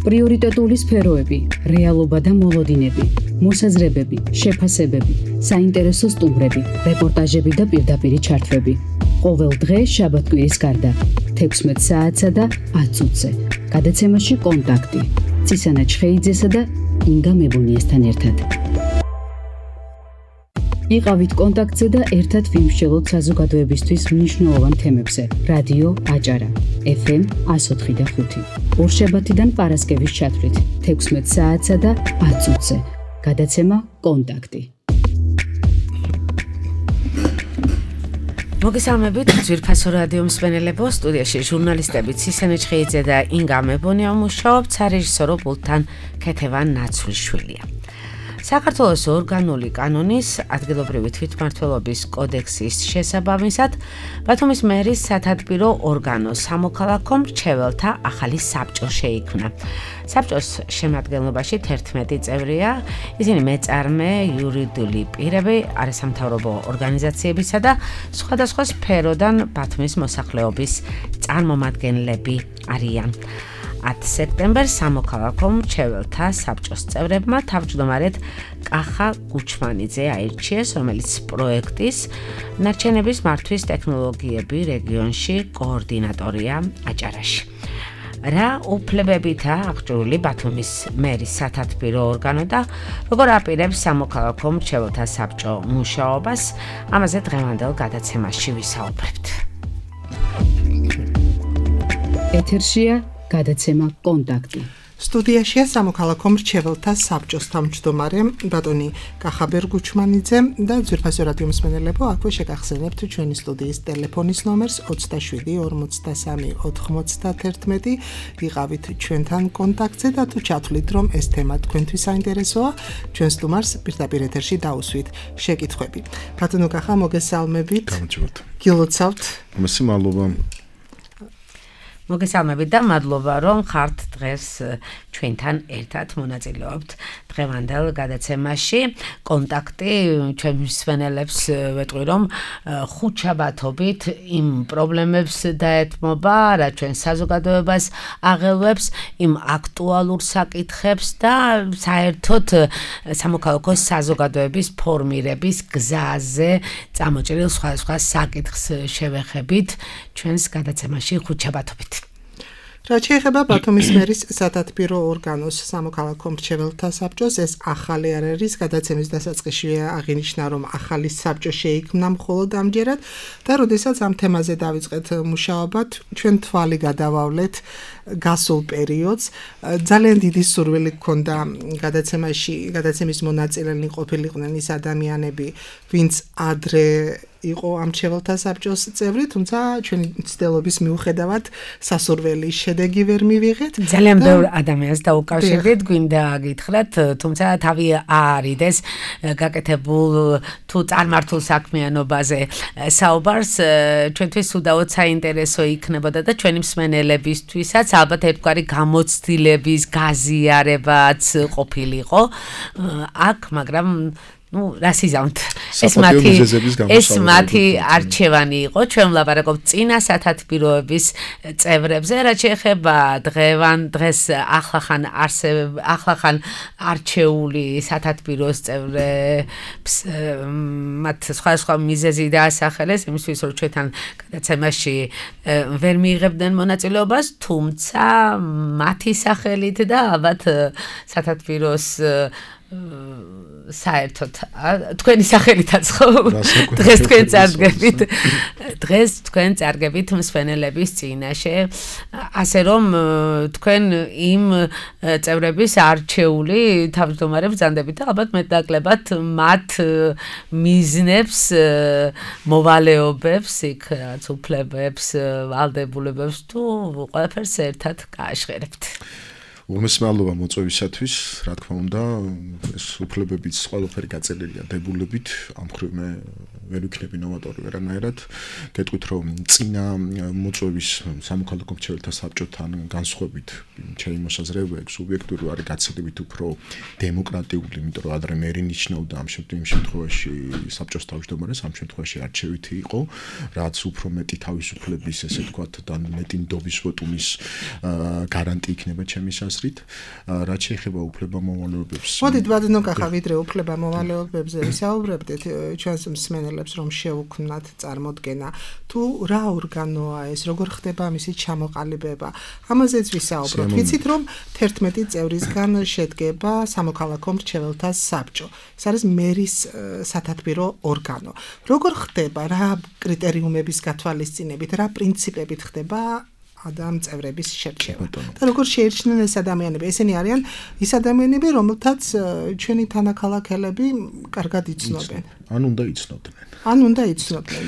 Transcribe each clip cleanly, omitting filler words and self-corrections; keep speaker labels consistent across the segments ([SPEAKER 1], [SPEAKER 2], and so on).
[SPEAKER 1] პრიორიტეტული სფეროები, რეალობა და მოლოდინები, მოსაზრებები, შეფასებები, საინტერესო სტუმრები, რეპორტაჟები და პირდაპირი ჩართვები. ყოველ დღე შაბათ-კვირის გარდა 16 საათსა და 10 წუთზე. გადაცემაში კონტაქტი. ცისანა ჩხეიძესა და ინგა მებონიესთან ერთად. იყავით კონტაქტზე და ერთად ვიმსჯელოთ საზოგადოებისთვის მნიშვნელოვან თემებზე. რადიო აჭარა, FM 104.5. ორშაბათიდან პარასკევის ჩათვლით 16 საათსა და 10 წუთზე. გადაცემა კონტაქტი.
[SPEAKER 2] მოგესალმებით ძვირფასო რადიო მსმენელებო, სტუდიაში ჟურნალისტები ცისანა ჩხეიძე და ინგა მებონია მუშაობთ, სარეჟისორო პულტთან ქეთევან ნაცვლიშვილია. საქართველოს ორგანული კანონის ადგილობრივი თვითმმართველობის კოდექსის შესაბამისად ბათუმის მერის სათათბირო ორგანო სამოქალაქო მრჩეველთა ახალი საბჭო შეიქმნა. საბჭოს შემადგენლობაში 11 წევრია, ისინი მეწარმე, იურიდიული პირები, არასამთავრობო ორგანიზაციებისა და სხვადასხვა სფეროდან ბათუმის მოსახლეობის წარმომადგენლები არიან. 10 სექტემბერს სამოქალაქო მრჩეველთა საბჭოს წევრებმა თავმჯდომარედ კახა გუჩმანიძე აირჩიეს, რომელიც პროექტის ნარჩენების მართვის ტექნოლოგიები რეგიონში კოორდინატორია აჭარაში. რა უფლებებითა აღჭურვილი ბათუმის მერის სათათბირო ორგანო და როგორ აპირებს სამოქალაქო მრჩეველთა საბჭო მუშაობას, ამაზე დღევანდელ გადაცემაში ვისაუბრებთ.
[SPEAKER 1] ეთერშია გადაცემა კონტაქტი.
[SPEAKER 3] სტუდიაშია სამოქალაქო მრჩეველთა საბჭოს თავმჯდომარე ბატონი კახა გუჩმანიძე და ძვირფასო რადიო მსმენელებო, აქვე შეგახსენებთ ჩვენი სტუდიის ტელეფონის ნომერს 27 43 91. იყავით ჩვენთან კონტაქტზე და თუ ჩათვლით, რომ ეს თემა თქვენთვის საინტერესოა, ჩვენ სტუმარს პირდაპირ ეთერში დაუსვით შეკითხვები. ბატონო კახა, მოგესალმებით.
[SPEAKER 4] გამარჯობთ.
[SPEAKER 3] გილოცავთ.
[SPEAKER 4] მადლობა.
[SPEAKER 2] მოგესალმებით და მადლობა, რომ ხართ დღეს ჩვენთან ერთად მონაწილეობთ დღევანდელ გადაცემაში. კონტაქტი ჩვენ მსმენელებს ვეტყვი, რომ ხუთშაბათობით იმ პრობლემებს დაეთმობა, რა ჩვენ საზოგადოებას აღელვებს, იმ აქტუალურ საკითხებს და საერთოდ სამოქალაქო საზოგადოების ფორმირების გზაზე წამოჭრილ სხვადასხვა საკითხს შევეხებით ჩვენს გადაცემაში ხუთშაბათობით.
[SPEAKER 3] რაც შეეხება ბათუმის მერის სათათბირო ორგანოს სამოქალაქო მრჩეველთა საბჭოს, ეს ახალი არ არის, გადაცემის დასაწყისში აღინიშნა, რომ ახალი საბჭო შეიქმნა მხოლოდ ამჯერად და როდესაც ამ თემაზე დავიწყეთ მუშაობა, ჩვენ თვალი გადავავლეთ გასულ პერიოდს. ძალიან დიდი სურვილი გქონდა გადაცემის მონაწილენი ყოფილიყვნენ ის ადამიანები, ვინც ადრე იყო ამ მრჩეველთა საბჭოს წევრი, თუმცა ჩვენი ცდილობის მიუხედავად სასურველი შედეგი ვერ მივიღეთ.
[SPEAKER 2] ძალიან ბევრ ადამიანს დაუკავშირდით, გვინდა გითხრათ, თუმცა თავი არიდეს გაკეთებულ თუ წარმართულ საქმიანობაზე საუბარს, ჩვენთვის უდაოდ საინტერესო იქნებოდა და ჩვენი მსმენელებისთვისაც ალბათ ერთგვარი გამოცდილების გაზიარებაც ყოფილიყო აქ, მაგრამ რას იზამთ? ეს მათი არჩევანი იყო. ჩვენ ვლაპარაკობთ წინა სათათბიროების წევრებზე, რაც შეეხება დღეს ახლახან არჩეული სათათბიროს წევრებს, მათ სხვადასხვა მიზეზი დაასახელეს, იმისთვის რომ ჩვენთან გადაცემაში ვერ მიიღებდნენ მონაწილეობას, თუმცა მათი სახელით და ალბათ სათათბიროს საერთოდ თქვენი სახელითაც ხო? დღეს თქვენ წარგებით მსმენელების წინაშე, ასე რომ თქვენ იმ წევრების არჩეული თავმჯდომარებს ბრძანდებით და ალბათ მეტნაკლებად მათ მიზნებს, მოვალეობებს, იქ რაც უფლებებს, ვალდებულებებს თუ ყველაფერს ერთად გააშხერებთ.
[SPEAKER 4] მადლობა მოწვევისათვის, რა თქმა უნდა, ეს უფლებებიც ყველაფერი გაწელილია დებულებით, ამ მხრივ მე ვერ ვიქნები ნოვატორი ვერანაირად. გეტყვით, რომ წინა მოწვევის სამოქალაქო მრჩეველთა საბჭოთან განსხვავებით, ჩემი მოსაზრებაა, სუბიექტური არის გაცილებით უფრო დემოკრატიული, იმიტომ რომ ადრე მერი ნიშნავდა ამ შემთხვევაში საბჭოს თავმჯდომარეს, ამ შემთხვევაში არჩევითი იყო, რაც უფრო მეტი თავისუფლების, ესე ვთქვათ, და მეტი ნდობის ვოტუმის გარანტი იქნება ჩემი ხაზრით, რაც შეეხება უფლებამოვალეობებს.
[SPEAKER 3] მოდით ვადნოკახა ვიდრე უფლებამოვალეობებზე ვისაუბრებდით, ჩვენს მსმენელებს რომ შეუქმნათ წარმოდგენა, თუ რა ორგანოა ეს, როგორ ხდება მისი ჩამოყალიბება. ამაზეც ვისაუბროთ. ვიცით რომ 11 წევრისგან შედგება სამოქალაქო მრჩეველთა საბჭო. ეს არის მერის სათათბირო ორგანო. როგორ ხდება, რა კრიტერიუმების გათვალისწინებით, რა პრინციპებით ხდება ამ წევრების შერჩევა. და როგორ შეირჩნენ ეს ადამიანები? ესენი არიან ის ადამიანები, რომელთაც ჩვენი თანაქალაქელები კარგად იცნობენ.
[SPEAKER 4] ან უნდა იცნობდნენ.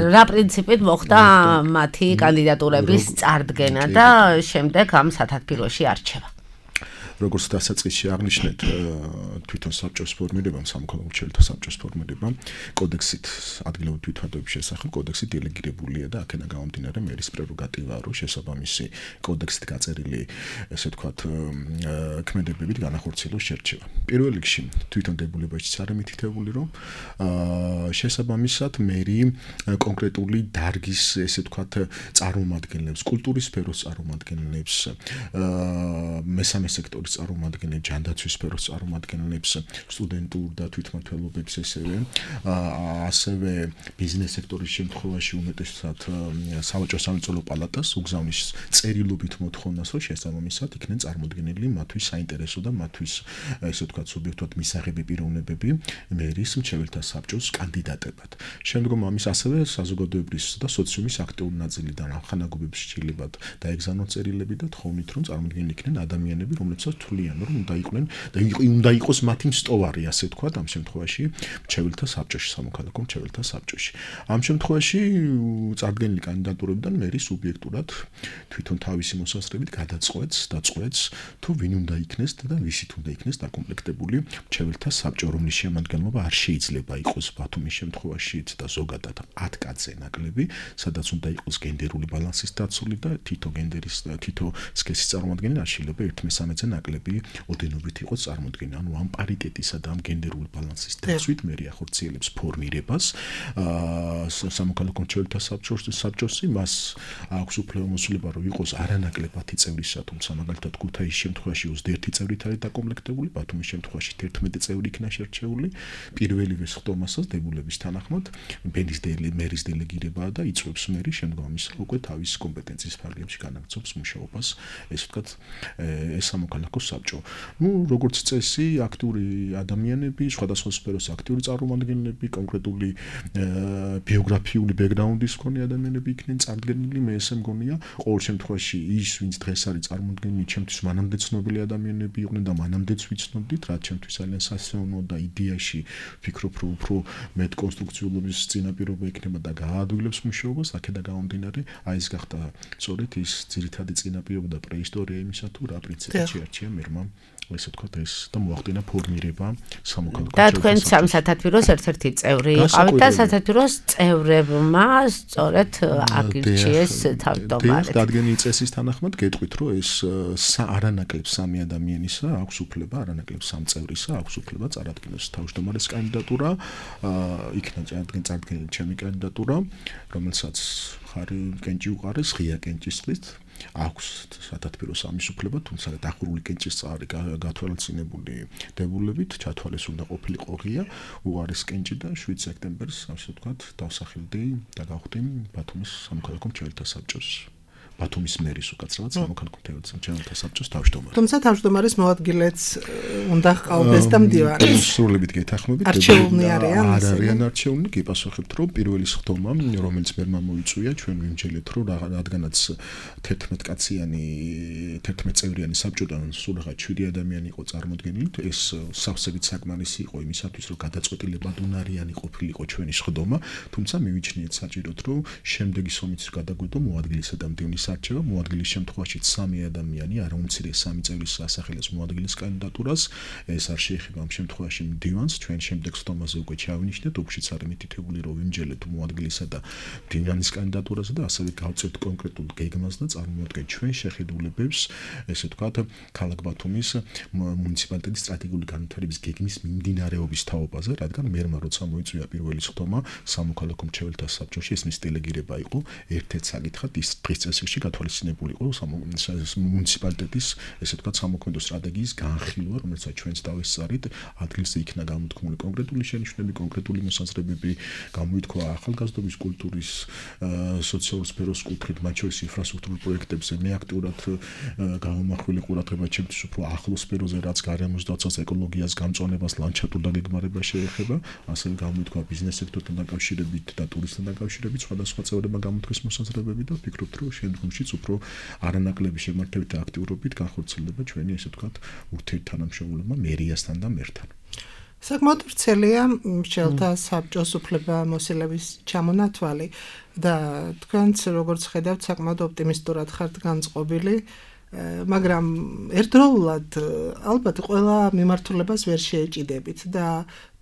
[SPEAKER 2] რა პრინციპით მოხდა მათი კანდიდატურების წარდგენა და შემდეგ ამ სათათბიროში არჩევა?
[SPEAKER 4] როგორც დასაწყისში აღნიშნეთ, თვითონ საბჭოს ფორმირებამ, სამოქალაქო მრჩეველთა საბჭოს ფორმირებამ კოდექსით ადგილობრივ თვითმფრინავების შესახებ კოდექსი დელეგირებულია და აქედან გამომდინარე მერის პრეროგატივაა, რომ შესაბამისი კოდექსით გაწერილი, ესე ვთქვათ, ქმედებებით განახორციელოს შერჩევა. პირველ რიგში თვითონ დებულებაშიც არის მითითებული, რომ შესაბამისად მერი კონკრეტული დარგის, ესე ვთქვათ, წარმომადგენლებს, კულტურის სფეროს წარმომადგენლებს, მესამე სექტორის წარმომადგენლებს, ჯანდაცვის სფეროს წარმომადგენლებს, სტუდენტურ და თვითმმართველობებს ასევე ბიზნეს სექტორის შემთხვევაში უმეტესად სავაჭრო სამრეწველო პალატას უგზავნის წერილობით მოთხოვნას, რომ შესაბამისად იქნენ წარმოდგენილი მათთვის საინტერესო და მათთვის ესე ვთქვათ სუბიექტურად მისაღები პიროვნებები მერის მრჩეველთა საბჭოს კანდიდატებად. შემდგომ ამის ასევე საზოგადოებრივ და სოციუმის აქტიური ნაწილიდან ახანაგობებს შეიძლება დაეგზავნონ წერილები და თხოვნით, რომ წარმოდგენილი იქნენ ადამიანები, რომლებსაც თვლიან, რომ უნდა იყოს მათი მსტოვარი, ასე ვთქვათ, ამ შემთხვევაში მრჩეველთა საბჭოში, სამოქალაქო მრჩეველთა საბჭოში. ამ შემთხვევაში წარდგენილი კანდიდატურებიდან მერი სუბიექტურად თვითონ თავისი მოსაზრებით დაწყვეტს, თუ ვინ უნდა იქნეს და ვისით უნდა იქნეს დაკომპლექტებული მრჩეველთა საბჭო, რომლის შემადგენლობა არ შეიძლება იყოს ბათუმის შემთხვევაშიც და ზოგადად 10 კაცზე ნაკლები, სადაც უნდა იყოს გენდერული ბალანსის დაცული და თითო სქესის წარმომადგენელი არ შეიძლება 1/13-ზე ნაკლები ოდენობით იყოს წარმოდგენილი. ანუ ამ პარიტეტისა და ამ გენდერული ბალანსის დაცვით მერი ახორციელებს ფორმირებას სამოქალაქო მრჩეველთა საბჭოსი, მას აქვს უფლებამოსილება, რომ იყოს არანაკლებ 10 წევრისა, თუმცა მაგალითად ქუთაისის შემთხვევაში 21 წევრით არის დაკომპლექტებული, ბათუმის შემთხვევაში 11 წევრი იქნა შერჩეული. პირველივე ხდომასაც დებულების თანახმად მერის დელეგირებაა და იწვევს მერი შემდგომ ამისა უკვე თავის კომპეტენციის ფარგლებში განაგრძობს მუშაობას, ესე ვთქვათ, ეს სამოქალაქო საბჭო. როგორც წესი, აქტიური ადამიანები, სხვადასხვა სფეროს აქტიური წარმომადგენლები, კონკრეტული ბიოგრაფიული ბექგრაუნდის მქონე ადამიანები იქნენ წარდგენილი. მე ესე მგონია, ყოველ შემთხვევაში ის, ვინც დღეს არის წარმოდგენილი, ჩემთვის მანამდე ცნობილი ადამიანები იყვნენ და მანამდეც ვიცნობდით, რაც ჩემთვის ძალიან სასიამოვნოა და იდეაში ვფიქრობ, რომ უფრო მეტ კონსტრუქციულობის წინაპირობა იქნება და გააადვილებს მუშაობას. აქედან გამომდინარე, ეს გახდა სწორედ ის ძირითადი წინაპირობა და პრეისტორია იმისა, თუ რა პრინციპით შეარჩია მერმა, ესე ვთქვათ, ეს და მოახდინა ფორმირება სამოქალაქო
[SPEAKER 2] და თქვენ სამ სათათბიროს ერთ-ერთი წევრი იყავით და სათათბიროს წევრებმა სწორედ აგირჩიეს თავმჯდომარედ.
[SPEAKER 4] დადგენილი წესის თანახმად გეტყვით, რომ ეს არანაკლებ 3 ადამიანისა აქვს უფლება, არანაკლებ 3 წევრისა აქვს უფლება წარადგინოს თავმჯდომარის კანდიდატურა, იქნა წარდგენილი ჩემი კანდიდატურა, რომელსაც ხარი კენჭი უყარეს, ღია კენჭისყრით. აქვს სათათბიროს ამის უფლება, თუმცა დახურული კენჭის წყარი გათვალისწინებული დებულებით ჩათვალეს უნდა ყოფილიყო ღია, უყარეს კენჭი და 7 სექტემბერს, ასე ვთქვათ, დავსახელდი და გავხდი ბათუმის სამოქალაქო მრჩეველთა საბჭოს. ბათუმის მერის უკაცრავად სამოქალაქო მრჩეველთა საბჭოს თავმჯდომარე.
[SPEAKER 3] თუმცა თავმჯდომარის მოადგილეც უნდა ჰყავდეს და მდივანი.
[SPEAKER 4] სრულებით გეთანხმებით.
[SPEAKER 3] არჩეულნი არიან.
[SPEAKER 4] არ არიან არჩეულნი, გიპასუხებთ, რომ პირველი ხდომა, რომელიც მერმა მოიწვია, ჩვენ ვიმჯელეთ, რომ რადგანაც 11 წევრიანი საბჭოდან სულ რაღაც 7 ადამიანი იყო წარმოდგენილი, ეს სავსებით საკმარისი იყო იმისათვის, რომ გადაწყვეტილებად უნარიანი ყოფილიყო ჩვენი ხდომა, თუმცა მივიჩნიეთ საჭიროდ, რომ შემდეგი სომის გადაგვედო მოადგილისა და მდივნის არჩევა, მოადგილის შემთხვევაში 3 ადამიანი, არა უმცირე 3 წევრის ასახელებს მოადგილის კანდიდატურას, ეს არ შეეხება ამ შემთხვევაში მდივანს, ჩვენ შემდეგ ხდომაზე უკვე ჩავინიშნეთ, უფშიც არის მითითებული, რომ ვიმჯელეთ მოადგილისა და მდივანის კანდიდატურაზე და ასევე გავწევთ კონკრეტულ გეგმას და წარმოვადგეთ ჩვენ შეხედულებებს, ესე ვთქვათ, ქალაქ ბათუმის მუნიციპალიტეტის სტრატეგიული განვითარების გეგმის მიმდინარეობის თაობაზე, რადგან მერმა როცა მოიწვია პირველი ხდომა სამოქალაქო მრჩეველთა საბჭოში, ეს მის დელეგირება იყო, ერთ-ერთ საკითხად ის დღის წესრიგში გათვალისწინებული იყო მუნიციპალიტეტის ესე ვთქვათ სამოქმედო სტრატეგიის განხილვა, რომელსაც ჩვენც დავესწარით, ადგილზე იქნა გამოთქმული კონკრეტული შენიშვნები, კონკრეტული მოსაზრებები, გამოითქვა ახალგაზრდობის კულტურის სოციალურ სფეროს კუთხით, მათ შორის ინფრასტრუქტურულ პროექტებზე მე აქტიურად გამომახვილ ყურადღება ჩემთვის უფრო ახლო სფეროზე, რაც გარემოს დაცვას, ეკოლოგიას, გამწვანებას, ლანდშაფტურ დაგეგმარებას შეეხება, ასევე გამოითქვა ბიზნეს სექტორთან დაკავშირებით და ტურიზმთან დაკავშირებით სხვადასხვა წევრებმა გამოთქვეს მოსაზრებები და ვფიქრობთ, რომ შემდგომშიც უფრო არანაკლები შემართებით და აქტიურობით განხორციელდება ჩვენი ესე ვთქვათ ურთიერთთანამშრომლობა მერიასთან და მერთან.
[SPEAKER 3] საკმაოდ ვრცელია მრჩეველთა საბჭოს უფლებამოსილების ჩამონათვალი და თქვენც როგორც ხედავთ საკმაოდ ოპტიმისტურად ხართ განწყობილი, მაგრამ ერთდროულად ალბათ ყველა მიმართულებას ვერ შეეჭიდებით და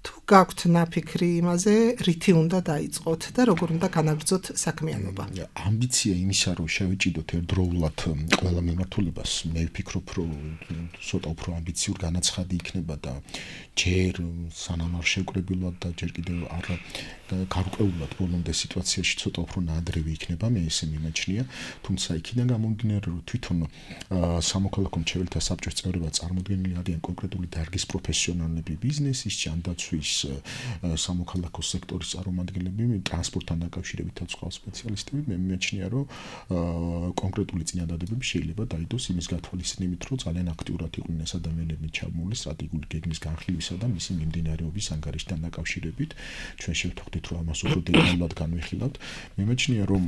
[SPEAKER 3] თუ გაქვთ ნაფიქრი იმაზე, რითი უნდა დაიწყოთ და როგორ უნდა განაგრძოთ საქმიანობა.
[SPEAKER 4] ამბიცია იმისა, რომ შევეჭიდოთ ერთდროულად ყველა მიმართულებას, მე ვფიქრობ, რომ ცოტა უფრო ამბიციურ განაცხადი იქნება და ჯერ სანამ არ შევკრებილოთ და ჯერ კიდევ არ გარკვეულად ბოლომდე სიტუაციაში ცოტა უფრო ნადრევი იქნება, მე ესე მიმაჩნია, თუმცა იქიდან გამომდინარე, რომ თვითონ სამოქალაქო მრჩეველთა საბჭოს წევრებად წარმოდგენილი არიან კონკრეტული დარგის პროფესიონალები, ბიზნესის, ჯანდაცვის, სამოქალაქო სექტორის წარმომადგენლები, ტრანსპორტთან დაკავშირებით სხვა სპეციალისტები, მე მიმაჩნია, რომ კონკრეტული წინადადებები შეიძლება დაიდოს იმის გათვალისწინებით, რომ ძალიან აქტიურად იყვნენ ეს ადამიანები ჩაბმული სტრატეგიული გეგმის განხილვისა და მისი მიმდინარეობის ანგარიშთან დაკავშირებით. ჩვენ შევთანხმდით, რომ ამას უფრო დეტალურად განვიხილავთ. მე მიმაჩნია, რომ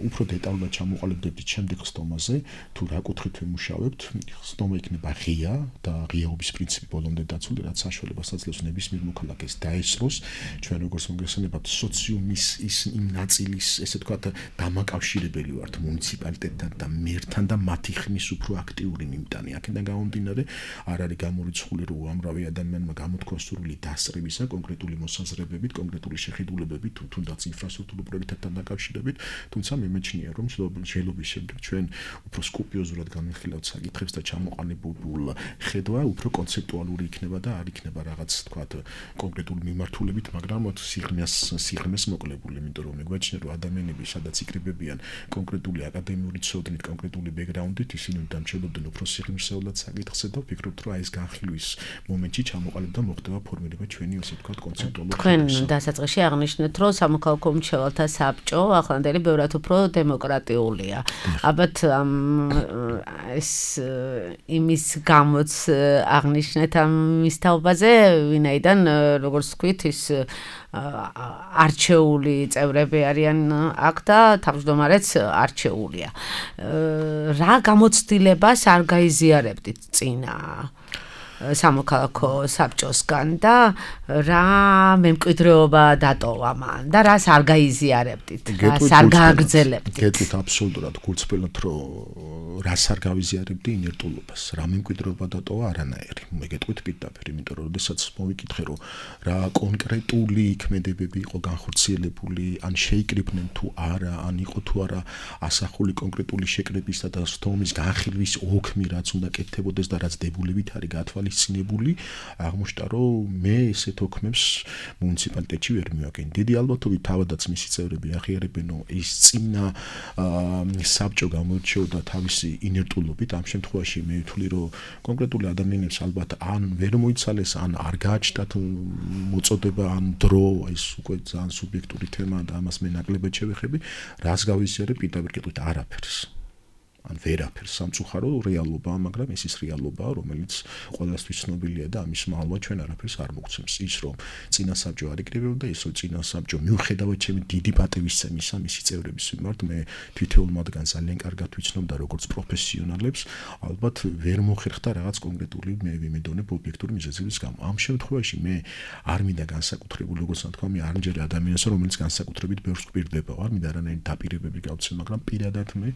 [SPEAKER 4] უფრო დეტალურად ჩამოყალიბდებთ შემდეგ ხსტომაზე, თუ რა კუთხით ვიმუშავებთ, ხსტომა იქნება ღია და ღიაობის პრინციპი ბოლომდე დაცული, რაც საშუალებას აძლევს ნებისმიერ მოქალაქეს დაესწროს, ჩვენ როგორც მოგესალმებათ სოციუმის ის იმ ნაწილის, ესე ვთქვათ, დამაკავშირებელი ვართ მუნიციპალიტეტთან და მერთან და მათი ხმის უფრო აქტიური მიმტანი. აქედან გამომდინარე, არ არის გამორიცხული, რომ უამრავი ადამიანმა გამოთქვა სურვილი დასწრებისა კონკრეტული მოსაზრებებით, კონკრეტული შეხედულებებით, თუნდაც ინფრასტრუქტურულ პროექტებთან დაკავშირებით, თუმცა მე მეჩნია, რომ შეიძლება შემდეგ ჩვენ უფრო სკუპიოზურად განვიხილავთ საკითხებს და ჩამოყალიბებულ ხედვა უფრო კონცეპტუალური იქნება და არ იქნება რაღაც თქვათ კონკრეტული მიმართულებით, მაგრამ სიღრმეს მოკლებული, იმიტომ რომ მეგვაჩნია, რომ ადამიანები სადაც იკრიბებიან კონკრეტული აკადემიური ცოდნით, კონკრეტული ბექგრაუნდით, ისინი დამჩნევდნენ უფრო სიღრმისეულად საკითხზე და ვფიქრობთ, რომ ეს განხილვის მომენტში ჩამოყალიბდა მოხდება ფორმირება ჩვენი ასე ვთქვათ კონცეპტუალური.
[SPEAKER 2] თქვენ დასაწყისში აღნიშნეთ, რომ სამოქალაქო მრჩეველთა საბჭო ახლანდელი ბევრად უფრო დემოკრატიულია. ალბათ ეს იმის გამოც აღნიშნეთ ამ მისთაობაზე, ვინაიდან როგორც ვთქვით, ის არჩეული წევრები არიან აქ და თავმჯდომარეც არჩეულია. რა გამოცდილებას არ გაიზიარებდით წინა სამოქალაქო საბჭოსგან და რა მემკვიდრეობა დატოვა მან და რას არ გაიზიარებდით, რას არ გააგრძელებდით?
[SPEAKER 4] გეტყვით აბსოლუტურად გულწრფელად, რომ რას არ გავიზიარებდი ინერტულობას, რა მემკვიდრეობა დატოვა არანაირი. მე გეტყვით პირდაპირ, იმიტომ რომ შესაძაც მოვიკითხე, რომ რა კონკრეტული იქმედებები იყო განხორციელებული, ან შეიკრიბნენ თუ არა, ან იყო თუ არა ასახული კონკრეტული შეკრებისა და სტომის განხილვის ოქმი, რაც უნდა კეთდებოდეს და რაც დებულებით არის გათვალისწინებული, აღმოჩნდა, რომ მე ესეთ ოქმებს მუნიციპალიტეტში ვერ მივაკენ. დიდი ალბათობით თავადაც მისი წევრები აღიარებენ, რომ ის წინა საბჭო გამოირჩეოდა თავისი ინერტულობით. ამ შემთხვევაში მე ვთვლი, რომ კონკრეტული ადამიანებს ალბათ ან ვერ მოიცალეს, ან არ გააჩნდათ მოწოდება, ან დრო, ეს უკვე ძალიან სუბიექტური თემაა და ამას მე ნაკლებად შევეხები. რას გავიზიარებ, პირდაპირ გეტყვით, არაფერს. ან ვერაფერს, სამწუხარო რეალობაა, მაგრამ ეს ის რეალობაა, რომელიც ყველასთვის ცნობილია და ამის მალვა ჩვენ არაფერს არ მოგცემს. ის რომ წინა საბჭო არ იკრიბებოდა, ის რომ წინა საბჭო მიუხედავად ჩემი დიდი პატივისცემისა მისი წევრების მიმართ, მე თითოეულ მათგანს ძალიან კარგად ვიცნობ და როგორც პროფესიონალებს, ალბათ ვერ მოხერხდა რაღაც კონკრეტული მე ვიმედონებ ობიექტური მიზეზების გამო. ამ შემთხვევაში მე არ მინდა განსაკუთრებული, როგორც თქვა, მე არ მჯერე ადამიანს, რომელიც განსაკუთრებით ბევრს გვპირდება, არ მინდა არანაირი დაპირებები გავცე, მაგრამ პირადად მე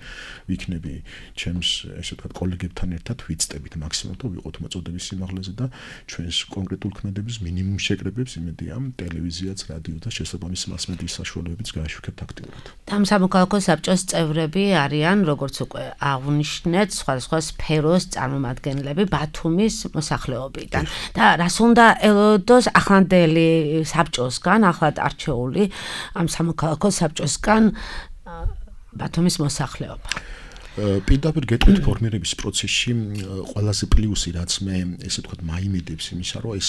[SPEAKER 4] ვიქნები ჩემს ესე ვთქვათ კოლეგებთან ერთად ვიწტებით მაქსიმალურად ვიყოთ მოწოდების სიმაღლეზე და ჩვენს კონკრეტულ ქმედების მინიმუმ შეკრებებს იმედია ტელევიზიაც, რადიო და შესაბამისი მასმედიის საშუალებებიც გააშვიქებთ აქტიურად.
[SPEAKER 2] ამ სამოქალაქო საბჭოს წევრები არიან, როგორც უკვე აღნიშნეთ, სხვადასხვა სფეროს წარმომადგენლები ბათუმის მოსახლეობიდან. და რას უნდა ელოდოს ახლანდელი საბჭოსგან, ახლად არჩეული ამ სამოქალაქო საბჭოსგან ბათუმის მოსახლეობა?
[SPEAKER 4] პირდაპირ გეტყვით ფორმირების პროცესში ყველაზე პლუსი რაც მე ესე ვთქვათ მაიმედებს იმისა რომ ეს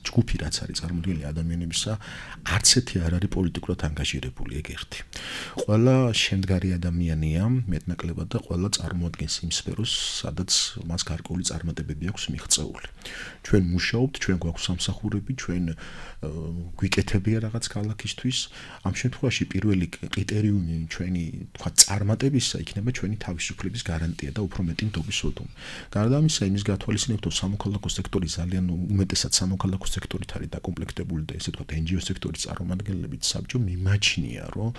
[SPEAKER 4] ჯგუფი რაც არის წარმოდგენილი ადამიანებისა არც ერთი არ არის პოლიტიკურად ანგაჟირებული ეგ ერთი. ყველა შემდგარი ადამიანია მეტნაკლებად და ყველა წარმოადგენს იმ სფეროს სადაც მას გარკვეული წარმატებები აქვს მიღწეული. ჩვენ მუშაობთ, ჩვენ გვაქვს სამსახურები, ჩვენ გვიკეთებია რაღაც ქალაქისთვის. ამ შემთხვევაში პირველი კრიტერიუმი ჩვენი თქვა წარმატებისა იქნება ჩვენი თავისუფლების გარანტია და უფრო მეტი ნდობის ოდომი. გარდა ამისა, იმის გათვალისწინებთ, რომ სამოქალაქო სექტორი ძალიან უმეტესად სამოქალაქო სექტორით არის დაკომპლექტებული და ესე ვთქვათ NGO სექტორის წარმომადგენლებით საბჭო მიმაჩნია, რომ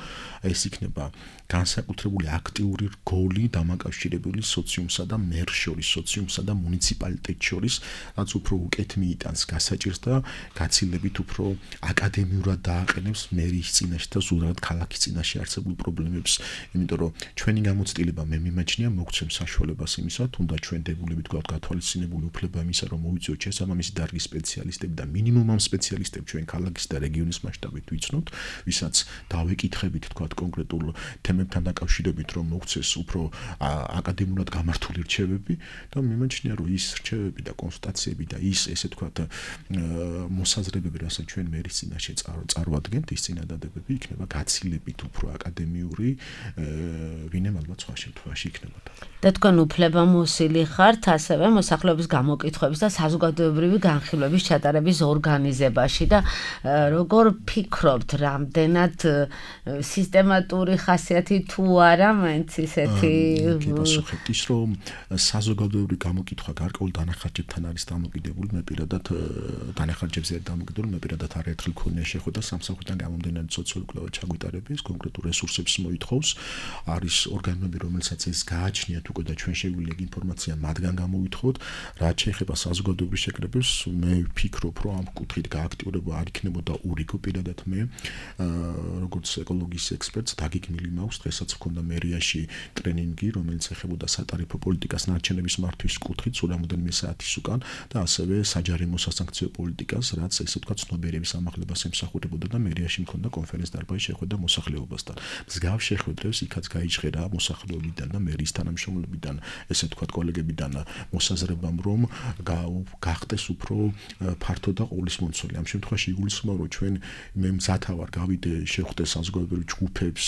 [SPEAKER 4] ეს იქნება განსაკუთრებული აქტიური რგოლი დამაკავშირებელი სოციუმსა და მერს შორის, სოციუმსა და მუნიციპალიტეტს შორის, რაც უფრო უკეთ მიიტანს გასაჭირს და გაცილებით უფრო აკადემიურად დააყენებს მერის წინაშე და ზუსტად ქალაქის წინაშე არსებულ პრობლემებს, იმიტომ რომ ჩვენი გამოცდილება მე მიმაჩნია მოგცემ საშუალებას იმისა, თუნდაც ჩვენ დებულებით გვაქვს გათვალისწინებული უფლება იმისა, რომ მოვიწვიოთ შესაბამისი დარგის სპეციალისტები და მინიმუმ ამ სპეციალისტებს ჩვენ ქალაქის და რეგიონის მასშტაბით ვიცნოთ, ვისაც დავეკითხებით თქვა კონკრეტულ თემებთან დაკავშირებით, რომ მოგცეს უფრო აკადემიურად გამართული რჩევები და მიმაჩნია, რომ ის რჩევები და კონსტატაციები და ის ესე თქვა მოსაზრებები, რასაც ჩვენ მერის წინაშე წარვადგენთ, ის წინადადებები იქნება გაცილებით უფრო აკადემიური, ვინმე ალბათ სხვა შემთხვევაში იქნებოდა.
[SPEAKER 2] და თქვენ უფლებამოსილი ხართ ასევე მოსახლეობის გამოკითხვების და საზოგადოებრივი განხილვების ჩატარების ორგანიზებაში და როგორ ფიქრობთ, რამდენად სისტემატური ხასიათი თუ არა, მაინც ისეთი
[SPEAKER 4] პასუხით ის რომ საზოგადოებრივი გამოკითხვა გარკვეულ დანახარჯებთან არის დამოკიდებული, მე პირადად დანახარჯებზე არ დამოკიდებული, მე პირადად არაერთხელ მქონია შეხვედრა სამსახურიდან გამომდინარე სოციალური კვლევა ჩაგვიტარების, კონკრეტულ რესურსებს მოითხოვს, არის ორგანოები, რომელსაც ეს გააჩნიათ უკვე და ჩვენ შეგვიძლია ეგ ინფორმაცია მათგან გამოვითხოვოთ, რაც შეეხება საზოგადოებრივ შეკრებებს, მე ვფიქრობ, რომ ამ კუთხით გააქტიურება არ იქნებოდა ურიგო პირადად მე, როგორც ეკოლოგიის ექსპერტს დაგეგმილი მაქვს, დღესაც მქონდა მერიაში ტრენინგი, რომელიც ეხებოდა სატარიფო პოლიტიკას ნარჩენების მართვის კუთხით სულ რამოდენიმე საათის უკან და ასევე საჯარიმო სასანქციო პოლიტიკას, რაც ესე ვთქვათ ცნობიერების ამაღლებას ემსახურებოდა და მერიაში მქონდა კონფერენც-დარბაზი შეხვედრა მოსახლეობასთან. მსგავს შეხვედრებს იქაც გაიჭრა მოსახლეობიდან და მერის თანამშრომლებიდან, ესე ვთქვათ კოლეგებიდან მოსაზრებამ, რომ გახდეს უფრო ფართო და ყოვლისმომცველი. ამ შემთხვევაში იგულისხმება, რომ ჩვენ მე მზათა ვარ გავიდე შეხვდე საზოგადოებრივ ჯგუფებს,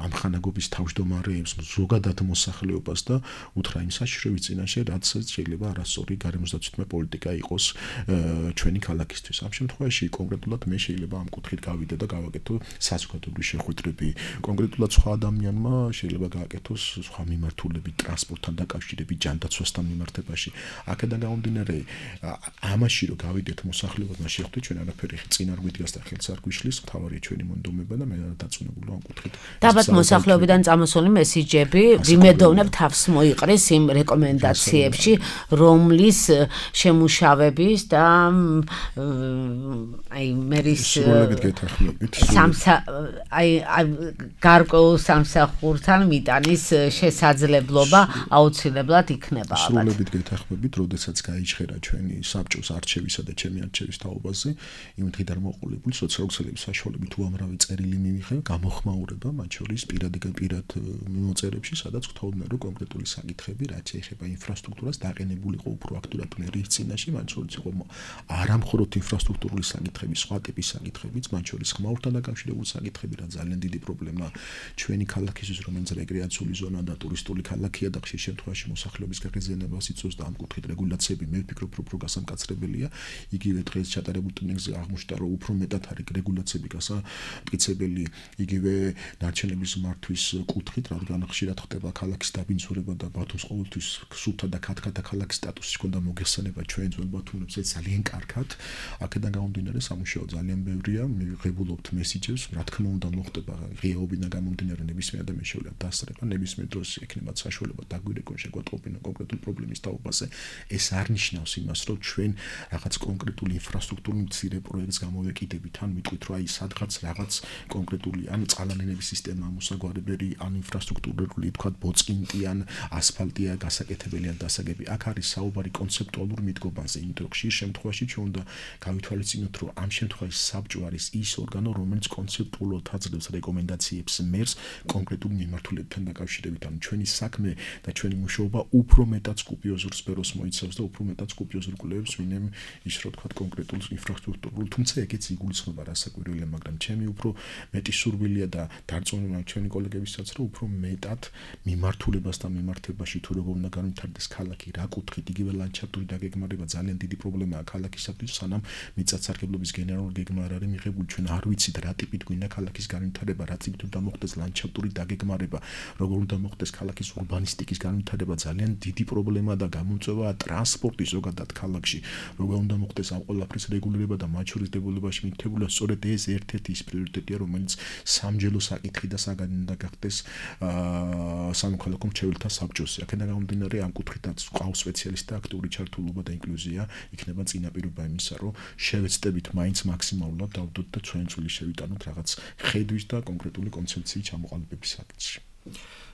[SPEAKER 4] ამხანაგობის თავმჯდომარეებს, ზოგადად მოსახლეობას და უთხრა იმ საშიშროების წინაშე, რაც შეიძლება არასწორი გარემოსდაცვითმე პოლიტიკა იყოს ჩვენი ქალაქისთვის. ამ შემთხვევაში კონკრეტულად მე შეიძლება ამ კუთხით გავიდე და გავაკეთო საზოგადოებრივი შეხვედრები. კონკრეტულად სხვა ადამიანმა შეიძლება გააკეთოს სხვა მიმართულებით, ტრანსპორტთან დაკავშირებით, ჯანდაცვასთან მიმართებაში. აქედან გამომდინარე, ამაში რომ გავიდეთ მოსახლეობასთან შეხვდეთ, ჩვენ არაფერი წინ არ გვიდგას და ხელს არ გვიშლის, მთავარია ჩვენი მონდომება და მე დაწუნებული ამ კუთხით.
[SPEAKER 2] დაბათ მოსახლეობიდან წამოსული მესიჯები ვიმედოვნებ თავს მოიყრეს იმ რეკომენდაციებში, რომლის შემუშავების და აი მერის გარკვეულ სამსახურთან მიტანის შესაძლებლობა აუცილებლად იქნება.
[SPEAKER 4] სრულებით გეთანხმებით, როდესაც გაიჩხერა ჩვენი საბჭოს არჩევისა და ჩემი არჩევის თაობაზე, იმ დღიდან მოყოლებული სოციალური ქსელების საშუალებით უამრავი წერილი მივიღე, გამოხმაურება, მათ შორის პირად მიმოწერებში, სადაც გთხოვდნენ, რომ კონკრეტული საკითხები, რაც ეხება ინფრასტრუქტურას, დაყენებულიყო უფრო აქტიურად მერის წინაშე, მათ შორის იყო არამხოლოდ ინფრასტრუქტურული საკითხები, სხვა ტიპის საკითხებიც, მათ შორის ხმაურთან დაკავშირებული საკითხები, რაც ძალიან დიდი პრობლემა ჩვენი ქალაქისთვის, რომელიც რეკრეაციული ზონა და ტურისტული ქალაქია და ხშირ შემთხვევაში მოსახლეობის გაღიზიანებას იწვევს და ამ კუთხით რეგულაციები მე ვფიქრობ, რომ უფრო გასამკაცრებელია. იგივე დღეს ჩატარებულ ტრენინგზე აღმოჩნდა, რომ უფრო მეტად არის რეგულაციები გასამკაცრებელი, იგივე ნარჩენების მართვის კუთხით, რადგან ხშირად ხდება ქალაქის დაბინძურება და ბათუმს ყოველთვის სუფთა და ქათქათა ქალაქის სტატუსი ჰქონდა მოგეხსენება ჩვენ ძველ ბათუმებს ეს ძალიან კარგად. აქედან გამომდინარე სამუშაო ძალიან ბევრია, მივიღებულობთ მესიჯებს, რა თქმა უნდა მოხდება ღიაობიდან გამომდინარე ნებისმიერ ადამიანს შეუძლია დასწრება, ნებისმიერ დროს ექნებათ საშუალება დაგვირეკონ შეგვატყობინა კონკრეტულ პრობლემის თაობაზე. ეს არ ნიშნავს იმას, რომ ჩვენ რაღაც კონკრეტული ინფრასტრუქტურული მცირე პროექტს გამოვეკიდებით, ან მიტყვით, რომ აი სადღაც რაღაც კონკრეტული ან წყალანენების სისტემა მოსაგვარებელი, ან ინფრასტრუქტურული თქვა ბოწყინტი, ან ასფალტია გასაკეთებელი ან დასაგები. აქ არის საუბარი კონცეპტუალურ მიდგომაზე, იმიტომ რომ ხშირ შემთხვევაში ჩვენ უნდა გავითვალისწინოთ, რომ ამ შემთხვევაში საბჭო არის ის ორგანო, რომელიც კონცეპტუალურად აძლევს რეკომენდაციებს მერს კონკრეტულ მიმართულებებთან დაკავშირებით. მიმართებით, ანუ ჩვენი საქმე და ჩვენი მუშაობა უფრო მეტად სკუპიოზურ სფეროს მოიცავს და უფრო მეტად სკუპიოზურ კვლევებს ვინმე ის რა თქვა კონკრეტულ ინფრასტრუქტურულ, თუმცა ეგეც იგულისხმება რასაკვირველია, მაგრამ ჩემი უფრო მეტი სურვილია და დარწმუნება ჩვენი კოლეგებისაც, რომ უფრო მეტად მიმართულებას და მიმართებაში თუ როგორ უნდა განვითარდეს ქალაქი, რა კუთხით, იგივე ლანდშაფტური დაგეგმარება ძალიან დიდი პრობლემაა ქალაქისათვის, სანამ მიწათსარგებლობის გენერალური გეგმა არ არის მიღებული, ჩვენ არ ვიცით რა ტიპით გვინდა ქალაქის განვითარება, რა ტიპით უნდა მოხდეს ლანდშაფტური დაგეგმარება, როგორ უნდა მოხდეს ქალაქის ურბანისტიკის განვითარება, ძალიან დიდი პრობლემაა და გამოწვევაა ტრანსპორტი ზოგადად ქალაქში, როგორ უნდა მოხდეს ამ ყველაფრის რეგულირება და მათ შორის დებულებაში მითითებულია სწორედ ეს ერთ-ერთი ის პრიორიტეტია, რომელიც სამჯელო საკითხი და საგანი უნდა გახდეს სამოქალაქო მრჩეველთა საბჭოს. აქედან გამომდინარე ამ კუთხითაც ყავს სპეციალისტთა აქტიური ჩართულობა და ინკლუზია, იქნება წინაპირობა იმისა, რომ შევეცდებით მაინც მაქსიმალურად დავდოთ და ჩვენი წვლილი შევიტანოთ რაღაც ხედვის და კონკრეტული კონცეფციის ჩამოყალიბების საკითხში.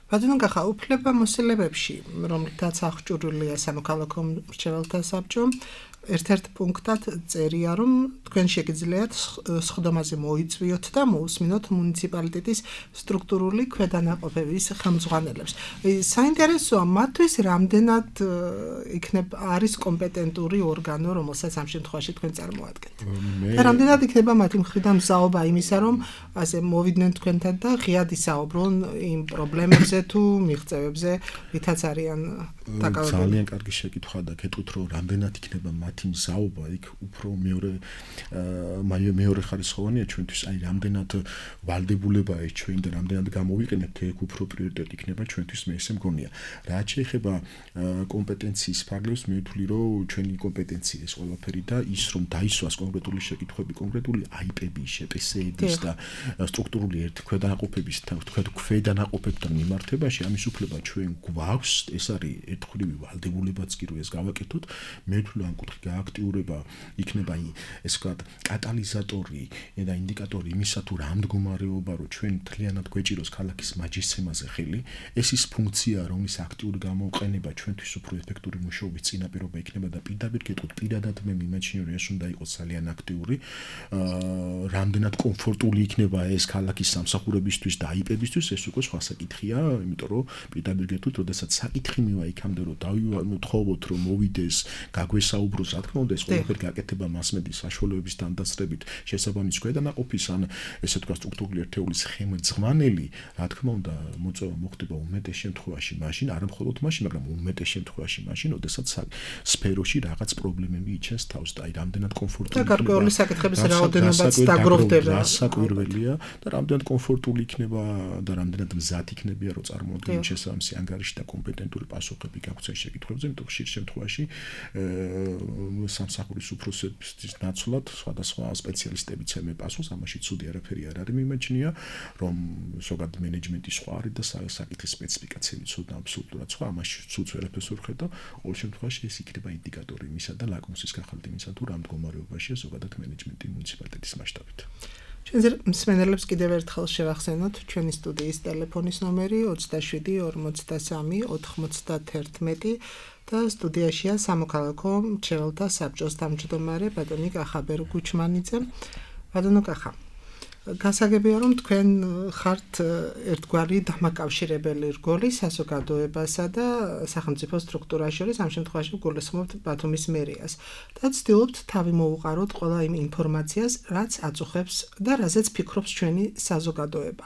[SPEAKER 3] ბატონო კახა, უფლებამოსილებებში, რომლითაც აღჭურვილია სამოქალაქო მრჩეველთა საბჭო, ერთ-ერთ პუნქტად წერია, რომ თქვენ შეგიძლიათ სხდომაზე მოიწვიოთ და მოусმინოთ მუნიციპალიტეტის სტრუქტურული ქვედანაყოფების ხელმძღვანელებს. საინტერესოა, მათთვის რამდენად არის კომპეტენტური ორგანო, რომელსაც ამ შემთხვევაში თქვენ წარმოადგენთ. და რამდენად იქნება მათი მხრიდან მზაობა იმისა, რომ ასე მოვიდნენ თქვენთან და ღიად ისაუბრონ იმ პრობლემებზე თუ მიღწევებზე, რითაც არიან დაკავებული.
[SPEAKER 4] ძალიან კარგი შეკითხვა და გეტყვით, რომ რამდენად იქნება მათი მზაობა, იქ უფრო მეორე ხარისხოვანია ჩვენთვის, აი რამდენად ვალდებულებაა ეს ჩვენ და რამდენად გამოვიყენებთ, ეგ უფრო პრიორიტეტი იქნება ჩვენთვის, მე ესე მგონია. რაც შეეხება კომპეტენციის ფარგლებს, მე ვთვლი, რომ ჩვენი კომპეტენცია ეს ყველაფერი და ის რომ დაისვას კონკრეტული შეკითხვები, კონკრეტული IP-ების, შეპსეების და სტრუქტურული ქვედანაყოფების ქვედანაყოფებთან მიმართებაში ამის უფლება ჩვენ გვაქვს, ეს არის ერთხრივი ვალდებულებაც კი რომ ეს გავაკეთოთ, მე ვთვლი ამ კუთხით გააქტიურება იქნება ეს ვთქვათ კატალიზატორი და ინდიკატორი იმისა თუ რა მდგომარეობა რომ ჩვენ მთლიანად გვეჭიროს ქალაქის მაჯისცემაზე ხელი, ეს ის ფუნქცია რომლის აქტიური გამოყენება ჩვენთვის უფრო ეფექტური მუშაობის წინაპირობა იქნება და პირდაპირ გეტყვით, პირადად მე მიმაჩნია რომ ეს უნდა იყოს ძალიან აქტიური, რამდენად კომფორტული იქნება ეს ქალაქის სამსახურებისთვის და IP-ებისთვის, ეს უკვე სხვა საკითხია, იმიტომ რომ პირდაპირ გეტყვით, როდესაც საკითხი მივა იქამდე რომ დავთხოვოთ რომ მოვიდეს, გაგვესაუბროს, რა თქმა უნდა, ეს ყველაფერი გაკეთება მასმედიის საშუალებების დადასტურებით, შესაბამის ქვედანაყოფის ან ესე თქვა სტრუქტურული ერთეულის ხელმძღვანელი, რა თქმა უნდა, მოწვევა მოხდება უმეტეს შემთხვევაში მაშინ, არა მხოლოდ მაშინ, მაგრამ უმეტეს შემთხვევაში მაშინ, როდესაც სფეროში რაღაც პრობლემები იჩენს თავს და აი რამდენად კომფორტული
[SPEAKER 3] და გარკვეული საკითხების რაოდენობაც დაგროვდება.
[SPEAKER 4] რასაკვირველია და რამდენად კომფორტული იქნება და რამდენად მზად იქნებია რომ წარმოადგენენ შესაბამისი ანგარიში და კომპეტენტური პასუხები გაქვთ ეს შეკითხვებზე, იმიტომ რომ ხშირ შემთხვევაში სამსახურის უფროსების ნაცვლად სხვადასხვა სპეციალისტებიც ემე პასუხს, ამაში ცუდი არაფერი არ არის მიმაჩნია, რომ ზოგადად მენეჯმენტი სხვა არის და საკითხის სპეციფიკაციები ცუდ აბსოლუტურად სხვა, ამაში ცუდს ვერაფერს ვერ ხედავ, ყოველ შემთხვევაში ეს იქნება ინდიკატორი იმისა და ლაკმუსის გახალთ იმისა თუ რა მდგომარეობაშია ზოგადად მენეჯმენტი მუნიციპალიტეტის მასშტაბით.
[SPEAKER 3] ჩვენ მსმენელებს კიდევ ერთხელ შევახსენოთ ჩვენი სტუდიის ტელეფონის ნომერი 27 43 91 და სტუდიაშია სამოქალაქო მრჩეველთა საბჭოს თავმჯდომარე ბატონი კახა ბერგუჩმანიძე. ბატონო კახა, გასაგებია რომ თქვენ ხართ ერთგვარი დამაკავშირებელი რგოლი საზოგადოებასა და სახელმწიფო სტრუქტურას შორის, ამ შემთხვევაში გულისხმობთ ბათუმის მერიას და ცდილობთ თავი მოუყაროთ ყველა იმ ინფორმაციას, რაც აწუხებს და რაზეც ფიქრობს ჩვენი საზოგადოება.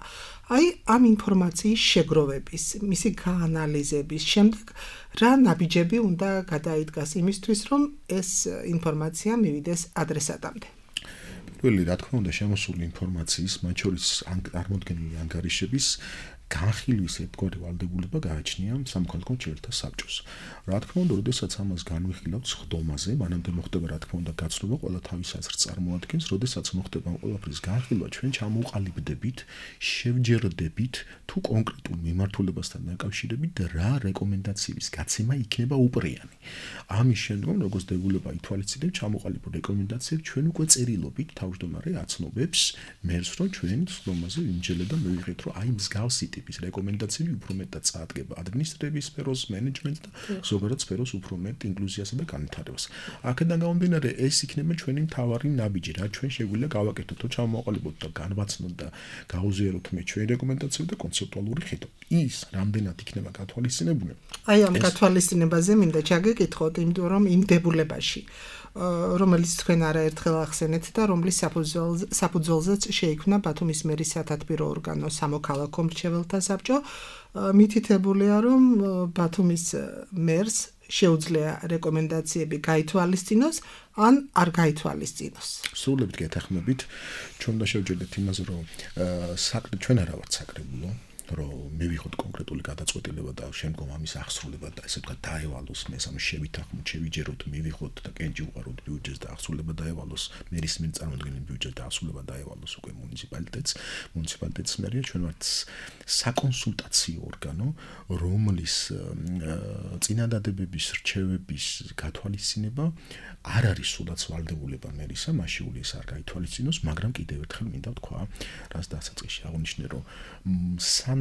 [SPEAKER 3] აი ამ ინფორმაციის შეგროვების, მისი გაანალიზების შემდეგ რა ნაბიჯები უნდა გადაიდგას იმისთვის, რომ ეს ინფორმაცია მივიდეს ადრესატამდე.
[SPEAKER 4] პირველი, რა თქმა უნდა, შემოსული ინფორმაციის, მათ შორის წარმოდგენილი ანგარიშების განხილვის ერთგვარი ვალდებულება გააჩნია სამოქალაქო მრჩეველთა საბჭოს. რა თქმა უნდა, როდესაც ამას განვიხილავთ სხდომაზე, მანამდე მოხდება რა თქმა უნდა გაცნობა, ყველა თავის აზრს წარმოადგენს, როდესაც მოხდება ამ ყველაფრის განხილვა, ჩვენ ჩამოვყალიბდებით, შევჯერდებით თუ კონკრეტულ მიმართულებასთან დაკავშირებით რა რეკომენდაციების გაცემა იქნება უპრიანი. ამის შემდგომ, როგორც დებულება ითვალისწინებს, ჩამოყალიბებულ რეკომენდაციებს ჩვენ უკვე წერილობით თავმჯდომარე აცნობებს მერს, რომ ჩვენ სხდომაზე ვიმჯელე და მივიღეთ, რომ აი მსგავსი ტიპის რეკომენდაციები უფრო მეტად წაადგება ადმინისტრების სფეროს, მენეჯმენტს და ზოგადად სფეროს უფრო მეტ ინკლუზიასა და განვითარებას. აქედან გამომდინარე, ეს იქნება ჩვენი მთავარი ნაბიჯი, რა ჩვენ შეგვიძლია გავაკეთოთ, თუ ჩამოაყალიბოთ და განვაცნოთ და გაუზიაროთ მე ჩვენი რეკომენდაციები და კონცეპტუალური ხედვა. ის რამდენად იქნება გათვალისწინებული?
[SPEAKER 3] აი ამ გათვალისწინებაზე მინდა ჩაგეკითხოთ, იმიტომ რომ იმ დებულებაში რომელიც თქვენ არაერთხელ ახსენეთ და რომლის საფუძველზეც შეიქმნა ბათუმის მერის სათათბირო ორგანო სამოქალაქო მრჩეველთა საბჭო, მითითებულია, რომ ბათუმის მერს შეუძლია რეკომენდაციები გაითვალისწინოს ან არ გაითვალისწინოს.
[SPEAKER 4] სრულებით გეთანხმებით, ჩვენ უნდა შევჯერდეთ იმაზე, რომ ჩვენ არა ვართ საკრებულო, რომ მივიღოთ კონკრეტული გადაწყვეტილება და შემდგომ ამის აღსრულება და ესე ვთქვათ დაევალოს მე სამ შევითანხმოთ, შევიჯეროთ, მივიღოთ და კენჭი უყაროთ ბიუჯეტს და აღსრულება დაევალოს მერის მიერ წარმოქმნილი ბიუჯეტს და აღსრულება დაევალოს უკვე მუნიციპალიტეტს მერია. ჩვენ ვართ საკონსულტაციო ორგანო, რომლის წინადადებების რჩევების გათვალისწინება არ არის სულაც ვალდებულება მერისა, მაშინ ის არ გაითვალისწინოს, მაგრამ კიდევ ერთხელ მინდა ვთქვა, რაც დასაწყისში აღნიშნე, რომ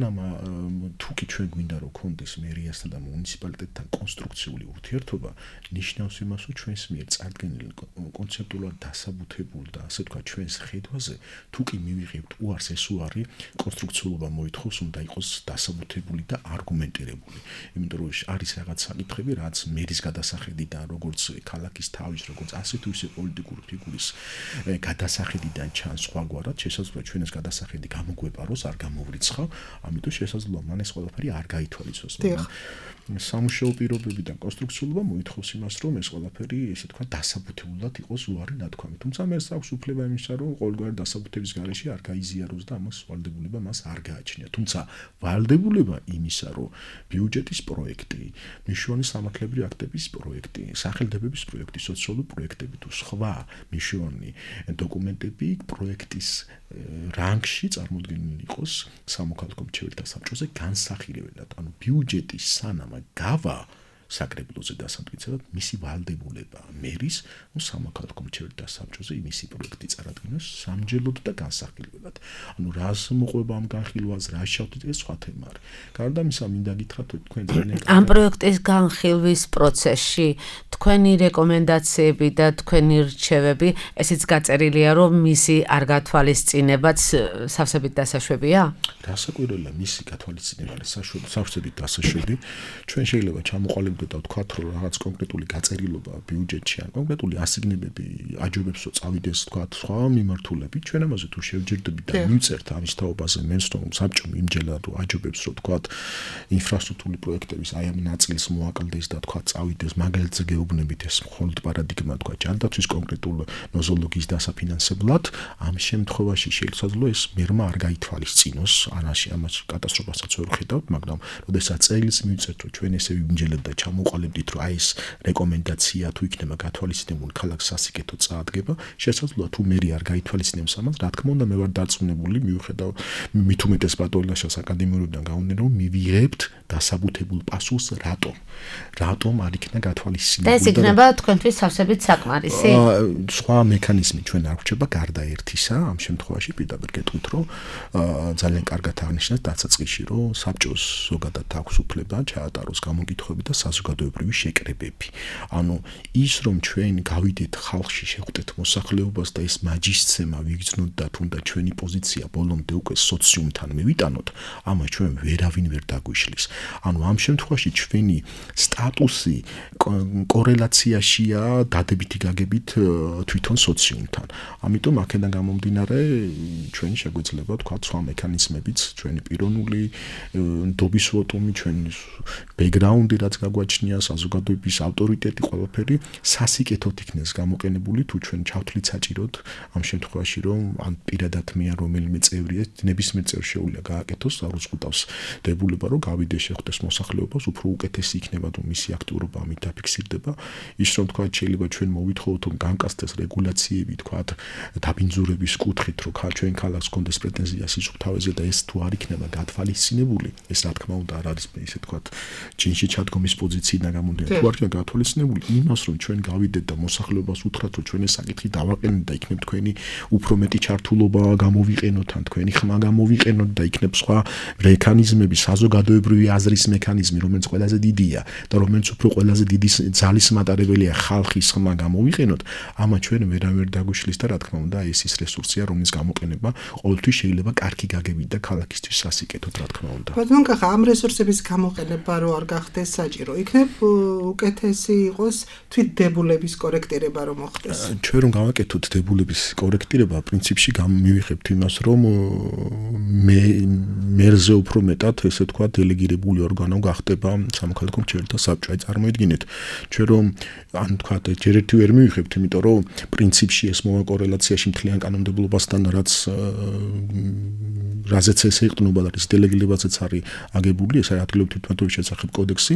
[SPEAKER 4] თუ კი ჩვენ გვინდა რომ კონდეს მერიასთან და მუნიციპალიტეტთან კონსტრუქციული ურთიერთობა, ნიშნავს იმას, რომ ჩვენს მიერ წარდგენილი კონცეპტუალურად დასაბუთებულ და ასე ვთქვათ ჩვენს ხედვაზე, თუ კი მივიღებთ უარს, ეს უარი კონსტრუქციულობა მოითხოვს, უნდა იყოს დასაბუთებული და არგუმენტირებული. იმიტომ რომ არის რაღაც საკითხები, რაც მერის გადასახედიდან, როგორც ქალაქის თავის, როგორც ასე თუ ისე პოლიტიკური ფიგურის გადასახედიდან ჩანს სხვაგვარად, შესაძლოა ჩვენ ეს გადასახედი გამოგვეპაროს, არ გამოვრიცხავ, ამიტომ შესაძლოა მან ეს ყველაფერი არ გაითვალისწინოს. სამუშაო პირობებიდან კონსტრუქციულობა მოითხოვს იმას, რომ ეს ყველაფერი, ესე თქვა, დასაბუთებულად იყოს უარი ნათქვამი. თუმცა მერს აქვს უფლება იმისა, რომ ყოველგვარი დასაბუთების გარეშე არ გაიზიაროს და ამას ვალდებულება მას არ გააჩნია. თუმცა ვალდებულება იმისა, რომ ბიუჯეტის პროექტი, მნიშვნელოვანი სამართლებრივი აქტების პროექტი, სახელმწიფოების პროექტი, სოციალური პროექტები თუ სხვა მნიშვნელოვანი დოკუმენტები პროექტის რანგში წარმოდგენილი იყოს სამოქალაქო მრჩეველთა საბჭოზე განსახილველად. ანუ ბიუჯეტის სანამ გავა საკრებულოზე დასამტკიცებლად მისი ვალდებულება მერის სამოქალაქო მრჩეველთა საბჭოზე მისი პროექტი წარადგინოს სამჯეროდ და განსახილველად. ანუ რას მოყვება ამ განხილვას, რა შევთით, ეს სხვა თემა არის. გარდა ამისა, მინდა გითხრათ, თქვენ ძალიან
[SPEAKER 2] ამ პროექტის განხილვის პროცესში თქვენი რეკომენდაციები და თქვენი რჩევები, ესეც გაწერილია, რომ მისი არ გათვალისწინებაც სავსებით დასაშვებია?
[SPEAKER 4] რასაკვირველია, მისი გათვალისწინება არის სავსებით დასაშვები. ჩვენ შეიძლება ჩამოყალიბდეთ და ვთქვათ, რომ რაღაც კონკრეტული გაწერილობა ბიუჯეტში ან კონკრეტული ასიგნებები აჯობებს, რომ წავიდეს, ვთქვათ, სხვა მიმართულებით. ჩვენ ამაზე თუ შევჯერდებით და მივწერთ ამის თაობაზე მენსტომ საბჭომ იმჯერად, რომ აჯობებს, რომ ვთქვათ, ინფრასტრუქტურული პროექტების აი ამ ნაწილს მოაკლდეს და ვთქვათ, წავიდეს, მაგალითზე გეუბნებით ეს მხოლოდ პარადიგმა, ვთქვათ, ჯანდაცვის კონკრეტულ ნოზოლოგიის დასაფინანსებლად, ამ შემთხვევაში შესაძლოა ეს მერმა არ გაითვალისწინოს, ამას კატასტროფასაც ვერ ხედავთ, მაგრამ როდესაც წელს მივწერთ, რომ ჩვენ ესე ვიმჯერდეთ და მოუყალიბდით, რომ აი ეს რეკომენდაცია თუ იქნება გათვალისწინებული ქალაქს სასიკეთო წაადგება, შესაძლოა თუ მერი არ გაითვალისწინებს ამას, რა თქმა უნდა მე ვარ დარწმუნებული, მიუხედავ მით უმეტეს პატოლოგიას აკადემიურიდან გამომდინარე, რომ მივიღებთ დასაბუთებულ პასუხს რატომ არ იქნა გათვალისწინებული.
[SPEAKER 2] და ეს იქნება თქვენთვის სავსებით საკმარისი?
[SPEAKER 4] სხვა მექანიზმი ჩვენ არ გვჭირდება გარდა ერთისა, ამ შემთხვევაში პირდაპირ გეტყვით, რომ ძალიან კარგად აღნიშნეთ დასაწყისში, რომ საბჭოს ზოგადად აქვს უფლება ჩაატაროს გამოკითხვები და საზოგადოებრივი შეკრებები. ანუ ის რომ ჩვენ გავიდეთ ხალხში, შეხვდეთ მოსახლეობას და ეს მაჯისცემა ვიგრძნოთ და თუნდაც ჩვენი პოზიცია ბოლომდე უკვე სოციუმთან მივიტანოთ, ამას ჩვენ ვერავინ ვერ დაგვიშლის. ანუ ამ შემთხვევაში ჩვენი სტატუსი კორელაციაშია დადებითი გაგებით თვითონ სოციუმთან. ამიტომ აქედან გამომდინარე ჩვენ შეგვეძლება თქვა სხვა მექანიზმებიც, ჩვენი პიროვნული ნდობის ვოტუმი, ჩვენი ბექგრაუნდი რაც გაგვაჩნია, საზოგადოების ავტორიტეტი, ყველაფერი სასიკეთოდ იქნეს გამოყენებული, თუ ჩვენ ჩავთვლით საჭიროდ ამ შემთხვევაში, რომ ან პირადად მე ან რომელიმე წევრი ნებისმიერ წევრს შეუძლია გააკეთოს, არუზღუდავს დებულება, რომ გავიდეს შეხვდეს მოსახლეობას, უფრო უკეთესი იქნება, რომ მისი აქტიურობა ამით დაფიქსირდება. ის რომ თქვა შეიძლება ჩვენ მოვითხოვოთ, რომ განკასდეს რეგულაციები, თქვა დაბინძურების კუთხით, რომ ჩვენ ქალაქს კონდეს პრეტენზია სიჩუქთავეზე და ეს თუ არ იქნება გათვალისწინებული, ეს რა თქმა უნდა არ არის ისე თქვა ჯინში ჩადგომის პოზიციიდან გამომდინარე. თუ არ იქნება გათვალისწინებული იმას, რომ ჩვენ გავიდეთ და მოსახლეობას უთხრათ, რომ ჩვენ ეს საკითხი დავაყენოთ და იქნებ თქვენი უფრო მეტი ჩართულობა გამოვიყენოთ, ან თქვენი ხმა გამოვიყენოთ და იქნებ სხვა მექანიზმები, საზოგადოებრივი აზრის მექანიზმი, რომელიც ყველაზე დიდია და რომელიც უფრო ყველაზე დიდი ძალის მატარებელია ხალხის ხმა გამოვიყენოთ, ამა ჩვენ ვერავერ დაგვიშლის და რა თქმა უნდა ეს ის რესურსია, რომლის გამოყენება ყოველთვის შეიძლება კარგი გაგებით და ქალაქისთვის სასიკეთოდ, რა თქმა უნდა.
[SPEAKER 3] ბატონო კახა, ამ რესურსების გამოყენება რო არ გახდეს საჭირო, იქნებ უკეთესი იყოს თვით დებულების კორექტირება რომ მოხდეს.
[SPEAKER 4] ჩვენ რომ გავაკეთოთ დებულების კორექტირება, პრინციპში მივიღებთ იმას, რომ მერზე უფრო მეტად, ესე თქვა, დელეგირებული ორგანო გახდება სამოქალაქო მრჩეველთა საბჭო. აი წარმოიდგინეთ, ჩვენ რომ ან თქვა, ჯერ ერთი ვერ მივიღებთ, იმიტომ რომ პრინციპში ეს მოვა კორელაციაში მთლიან კანონმდებლობასთან, რაზეც ეს ეყრდნობა და რის დელეგირებაზეც არის აგებული, ეს არის ადგილობრივი თვითმმართველობის შესახებ კოდექსი,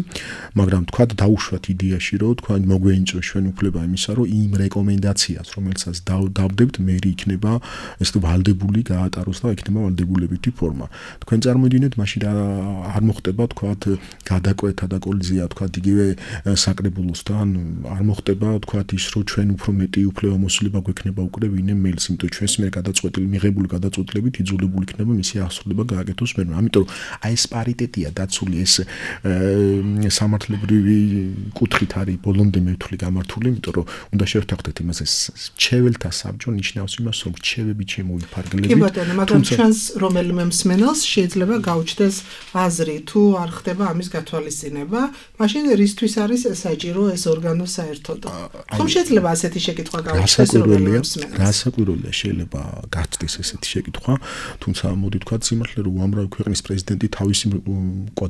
[SPEAKER 4] მაგრამ თქვა დაუშვათ იდეაში, რომ თქვა მოგვეინჭროს ჩვენ უფლება იმისა, რომ იმ რეკომენდაციას, რომელსაც დავდებთ, მერი იქნება ეს ვალდებული გაატაროს და იქნება ვალდებულებითი ფორმა. თქვენ წარმოიდგინეთ, მაშინ არ მოხდება თქვა გადაკვეთა და კოლიზია თქვა იგივე საკრებულოსთან, არ მოხდება თქვა ის, რომ ჩვენ უფრო მეტი უფლებამოსილება გვექნება უკვე ვინმე მეილს, იმიტომ ჩვენს მიერ გადაწყვეტილი მიღებული გადაწყვეტილებით იძულებული იქნება მისი აღსრულება გააკეთოს მერმე. ამიტომ აი ეს პარიტეტია დაცული, ეს სამართლებრივი კუთხით არის ბოლომდე მეთვლი გამართული, იმიტომ რომ უნდა შევთანხმდეთ იმას, ეს მრჩეველთა საბჭო ნიშნავს იმას, რომ მრჩევები შემოიფარგლებით.
[SPEAKER 3] კი ბატონო, მაგრამ ჩვენს რომელიმე მსმენელს შეიძლება გაუჩნდეს აზრი, თუ არ ხდება ამის გათვალისწინება, მაშინ რისთვის არის საჭირო ეს ორგანო საერთოდ? ხომ შეიძლება ასეთი შეკითხვა გაუჩნდეს რომელიმე მსმენელს?
[SPEAKER 4] რასაკვირველია, შეიძლება გახდეს ესეთი შეკითხვა, თუმცა მოდი თქვა სიმართლე, რომ უამრავი ქვეყნის პრეზიდენტი თავისი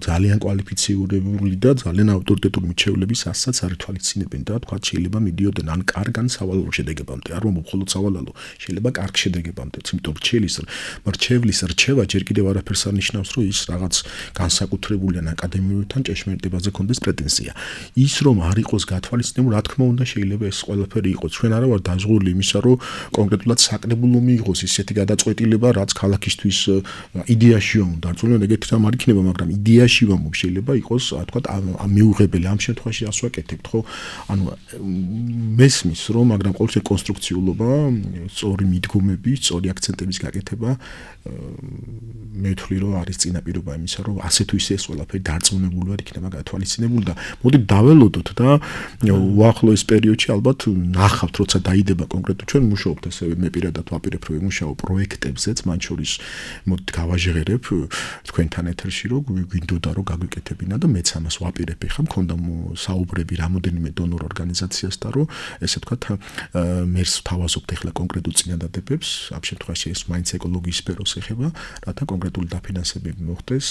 [SPEAKER 4] ძალიან კვალიფიციური და ძალიან ავტორიტეტული მრჩევლების ასაცაც არ ითვალისწინებენ და თქვა შეიძლება მიდიოდნენ ან კარგ ან სავალალო შედეგებამდე, არ მომხოლოდ სავალალო, შეიძლება კარგ შედეგებამდე, იმიტომ მრჩევლის რჩევა ჯერ კიდევ არაფერს არ ნიშნავს, რომ ის რაღაც განსაკუთრებული ან აკადემიურთან ჭეშმარიტებაზე კონდეს პრეტენზია. ის რომ არ იყოს გათვალისწინებული, რა თქმა უნდა შეიძლება ეს ყველაფერი იყოს. ჩვენ არა ვარ დაზღურული იმისა, რომ კონკრეტულად საკრებულო მიიღოს ისეთი გადაწყვეტილება, რაც ქალაქისთვის იდეაში უნდა დარწმუნებული, ეგეთი რამ არ იქნება, მაგრამ იდეაში ვამბობ, შეიძლება იყოს, თქვა, მიუღებელი. ამ შემთხვევაში ასე ვაკეთებთ, ხო? ანუ მესმის, რომ მაგრამ ყოველთვის კონსტრუქციულობა, სწორი მიდგომები, სწორი აქცენტების გაკეთება მე ვთვლი, რომ არის წინაპირობა იმისა, რომ ასე თუ ისე ეს ყველაფერი დარწმუნებული ვარ იქნება გათვალისწინებული და მოდი დაველოდოთ და უახლოეს პერიოდში ალბათ ნახავთ, როცა დაიდება კონკრეტულად ჩვენ მუშაობთ ესე მე პირადად ვაპირებ რომ ვიმუშაო პროექტებზეც, მათ შორის მოდით გავაჟღერებ თქვენთან ეთერში, რომ გვინდოდა რომ გაგვიკეთებინა და მეც ამას ვაპირებ. ეხლა მქონდა საუბრები რამოდენიმე დონორ ორგანიზაციასთან, რომ ესე ვთქვათ მერს ვთავაზობთ ეხლა კონკრეტულ წინადადებებს, ამ შემთხვევაში ეს მაინც ეკოლოგიის სფეროს ეხება, რათა კონკრეტული დაფინანსებები მოხდეს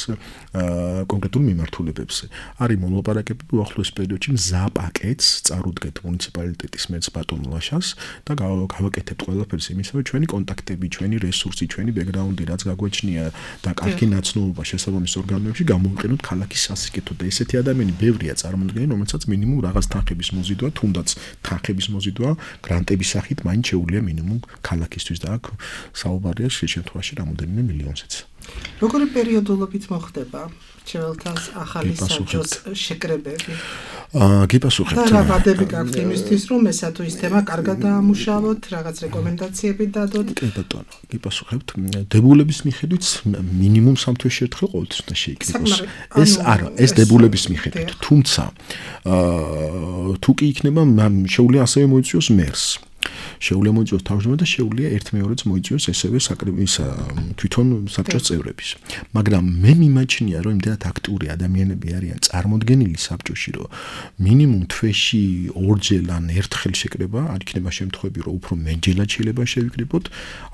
[SPEAKER 4] კონკრეტულ მიმართულებებზე. არის მოლაპარაკებები უახლოეს პერიოდში მზა პაკეტს წარუდგეთ მუნიციპალიტეტის მეც ბატონ ლაშას და გავაკეთებთ ყველაფერს იმისავე, ჩვენი კონტაქტები, ჩვენი რესურსი, ჩვენი ბექგრაუნდი, რაც გაგვეჩნია და კარგი ნაცნობობა შესაბამის ორგანოებში გამოვიყენოთ ქალაქის სასიკეთოდ და ესეთი ადამიანი ბევრია წარმოდგენილი, რომელსაც მინიმუმ რაღაც თანხების მოზიდვა, თუნდაც თანხების მოზიდვა გრანტების სახით მაინც შეუძლია მინიმუმ ქალაქისთვის და აქ საუბარია შემთხვევაში რამოდენიმე მილიონზეც.
[SPEAKER 3] როგორი პერიოდულობით მოხდება მრჩეველთა ახალი საბჭოს შეკრებები?
[SPEAKER 4] გიპასუხებთ.
[SPEAKER 3] და რა ვადები გაქვთ იმისთვის, რომ ესა თუ ის თემა კარგად დაამუშავოთ, რაღაც რეკომენდაციები დადოთ?
[SPEAKER 4] კი ბატონო, გიპასუხებთ. დებულების მიხედვით მინიმუმ 3 თვეში ერთხელ ყოველთვის უნდა შეიკრიბოს. ეს არა, ეს დებულების მიხედვით. თუმცა თუ კი იქნება, შეუძლია ასევე მოიწვიოს მერს. შეუძლია მოიწვიოს თავმჯდომარე და შეუძლია ერთ-მეორეც მოიწვიოს ესევე თვითონ საბჭოს წევრების. მაგრამ მე მიმაჩნია, რომ იმდენად აქტიური ადამიანები არიან წარმოდგენილი საბჭოში, რომ მინიმუმ თვეში ორჯერ ან ერთხელ შეკრება, არ იქნება შემთხვევები, რომ უფრო მეტჯერად შეიძლება შევიკრიბოთ,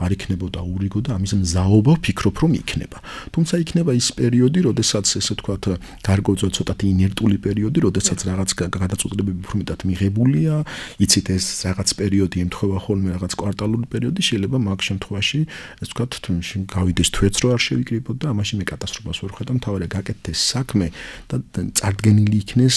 [SPEAKER 4] არ იქნებოდა ურიგო და ამის მზაობა ვფიქრობ, რომ იქნება. თუმცა იქნება ის პერიოდი, როდესაც ესე ვთქვათ, გარკვეულწილად ცოტათი ინერტული პერიოდი, როდესაც რაღაც გადაწყვეტილებები უფრო მეტად მიღებულია, იცით ეს რაღაც პერიოდი ემთხვევა ეთქვა ხოლმე რაღაც კვარტალური პერიოდი, შეიძლება მაგ შემთხვევაში, ასე ვთქვათ, გავიდეს თვეც რო არ შევიკრიბოთ და ამაში მე კატასტროფას ვერ ხედავ, თავარია გაკეთდეს საქმე და წარდგენილი იქნეს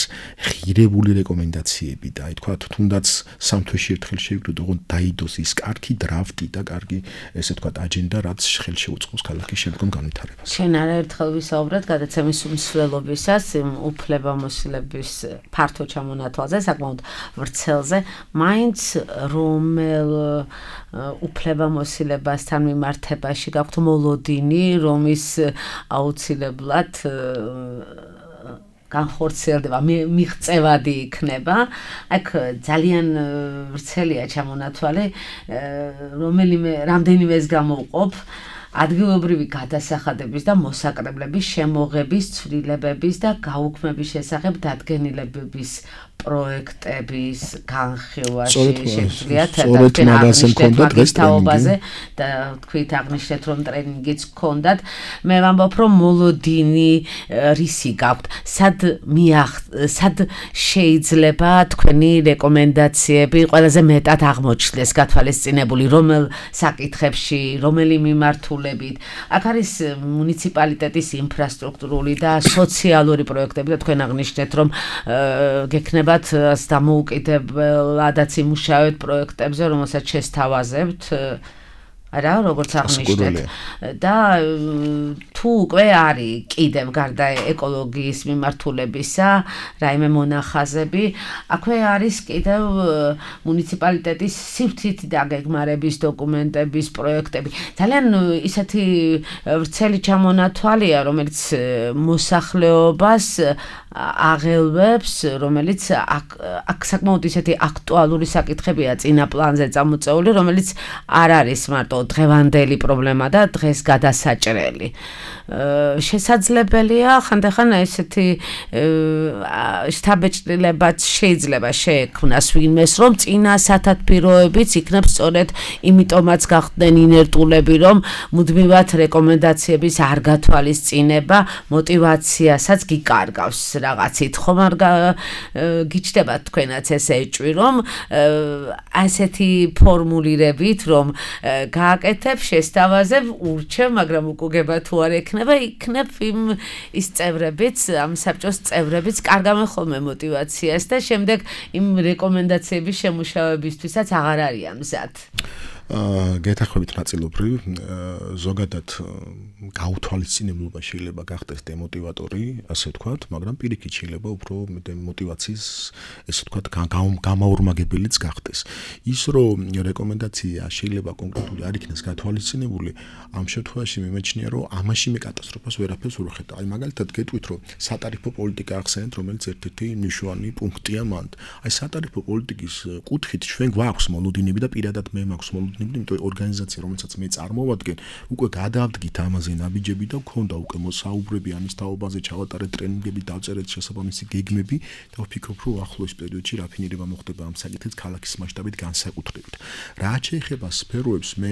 [SPEAKER 4] ღირებული რეკომენდაციები და აი თქვათ, თუნდაც სამ თვეში ერთხელ შევიკრიბოთ, ოღონდ დაიდოს ის კარგი დრაფტი და კარგი, ესე ვთქვათ, აჯენდა, რაც ხელს შეუწყობს ქალაქის შემდგომ განვითარებას.
[SPEAKER 2] ჩვენ არაერთხელ ვისაუბრეთ გადაცემის უმსვლელობისას უფლებამოსილების ფართო ჩამონათვალზე, საკმაოდ ვრცელზე, მაინც რომელ უფლებამოსილებასთან მიმართებაში გაქვთ მოლოდინი, რომის აუცილებლად განხორციელდება, მიღწევადი იქნება. აქ ძალიან ვრცელია ჩამონათვალი, რამდენიმეს გამოვყოფ ადგილობრივი გადასახადების და მოსაკრებლების შემოღების, ცვლილებების და გაუქმების შესახებ დადგენილებების პროექტების განხილვაში შეგვიძლიათ თაობაზე და თქვით აღნიშნეთ რომ ტრენინგიც გქონდათ. მე ვამბობ რომ მოლოდინი რისი გაქვთ, სად შეიძლება თქვენი რეკომენდაციები ყველაზე მეტად აღმოჩნდეს გათვალისწინებული, რომელ საკითხებში, რომელი მიმართულებით. აქ არის მუნიციპალიტეტის ინფრასტრუქტურული და სოციალური პროექტები და თქვენ აღნიშნეთ რომ გექნება დამოუკიდებლადაც იმუშავეთ პროექტებზე, რომელსაც შესთავაზებთ, რა, როგორც აღნიშნეთ. და თუ უკვე არის კიდევ გარდა ეკოლოგიის მიმართულებისა, რაიმე მონახაზები, აქვე არის კიდევ მუნიციპალიტეტის სივრცით დაგეგმარების დოკუმენტების პროექტები. ძალიან ისეთი ვრცელი ჩამონათვალია, რომელიც მოსახლეობას აღელვებს, რომელიც აქ საკმაოდ ისეთი აქტუალური საკითხებია წინა პლანზე წამოწეული, რომელიც არ არის მარტო დღევანდელი პრობლემა და დღეს გადასაჭრელი. შესაძლებელია ხანდახან ესეთი შთაბეჭდილებაც შეიძლება შეექმნას ვინმეს, რომ წინა სათათბიროებიც იქნებს სწორედ იმიტომაც გახდნენ ინერტულები, რომ მუდმივად რეკომენდაციების არ გათვალისწინება მოტივაციასაც გიკარგავს რაღაცით. ხომ არ გიჩნდება თქვენაც ესე ეჭვი, რომ ასეთი ფორმულირებით, რომ გააკეთებ, შესთავაზებ, ურჩევ, მაგრამ უკუგება თუ არ ექნება, იქნებ ის წევრებიც, ამ საბჭოს წევრებიც კარგავენ ხოლმე მოტივაციას და შემდეგ იმ რეკომენდაციების შემუშავებისთვისაც აღარ არიან მზად.
[SPEAKER 4] გეთახმებით ნაწილობრივ, ზოგადად გაუთვალისწინებლობა შეიძლება გახდეს დემოტივატორი, ასე ვთქვათ, მაგრამ პირიქით შეიძლება უფრო მოტივაციის, ესე ვთქვათ, გამაორმაგებელიც გახდეს. ის რომ რეკომენდაცია შეიძლება კონკრეტული არ იქნეს გათვალისწინებული, ამ შემთხვევაში მიმეჩნია, რომ ამაში მე კატასტროფას ვერაფერს ვერ ვხედავ. აი მაგალითად გეტყვით, რომ სატარიფო პოლიტიკა ახსენეთ, რომელიც ერთ-ერთი მნიშვნელოვანი პუნქტია მანდ. აი სატარიფო პოლიტიკის კუთხით ჩვენ გვაქვს მოლოდინები და პირადად მე მაქვს მოლოდინები, იმიტომ ორგანიზაცია, რომელსაც მე წარმოვადგენ, უკვე გადავდგით ამაზე ნაბიჯები და გქონდა უკვე მოსაუბრები ამის თაობაზე, ჩავატარეთ ტრენინგები, დავწერეთ შესაბამისი გეგმები და ვფიქრობ, რომ ახლოს პერიოდში რაფინირება მოხდება ამ საკითხით ქალაქის მასშტაბით განსაკუთრებით. რაც შეეხება სფეროებს, მე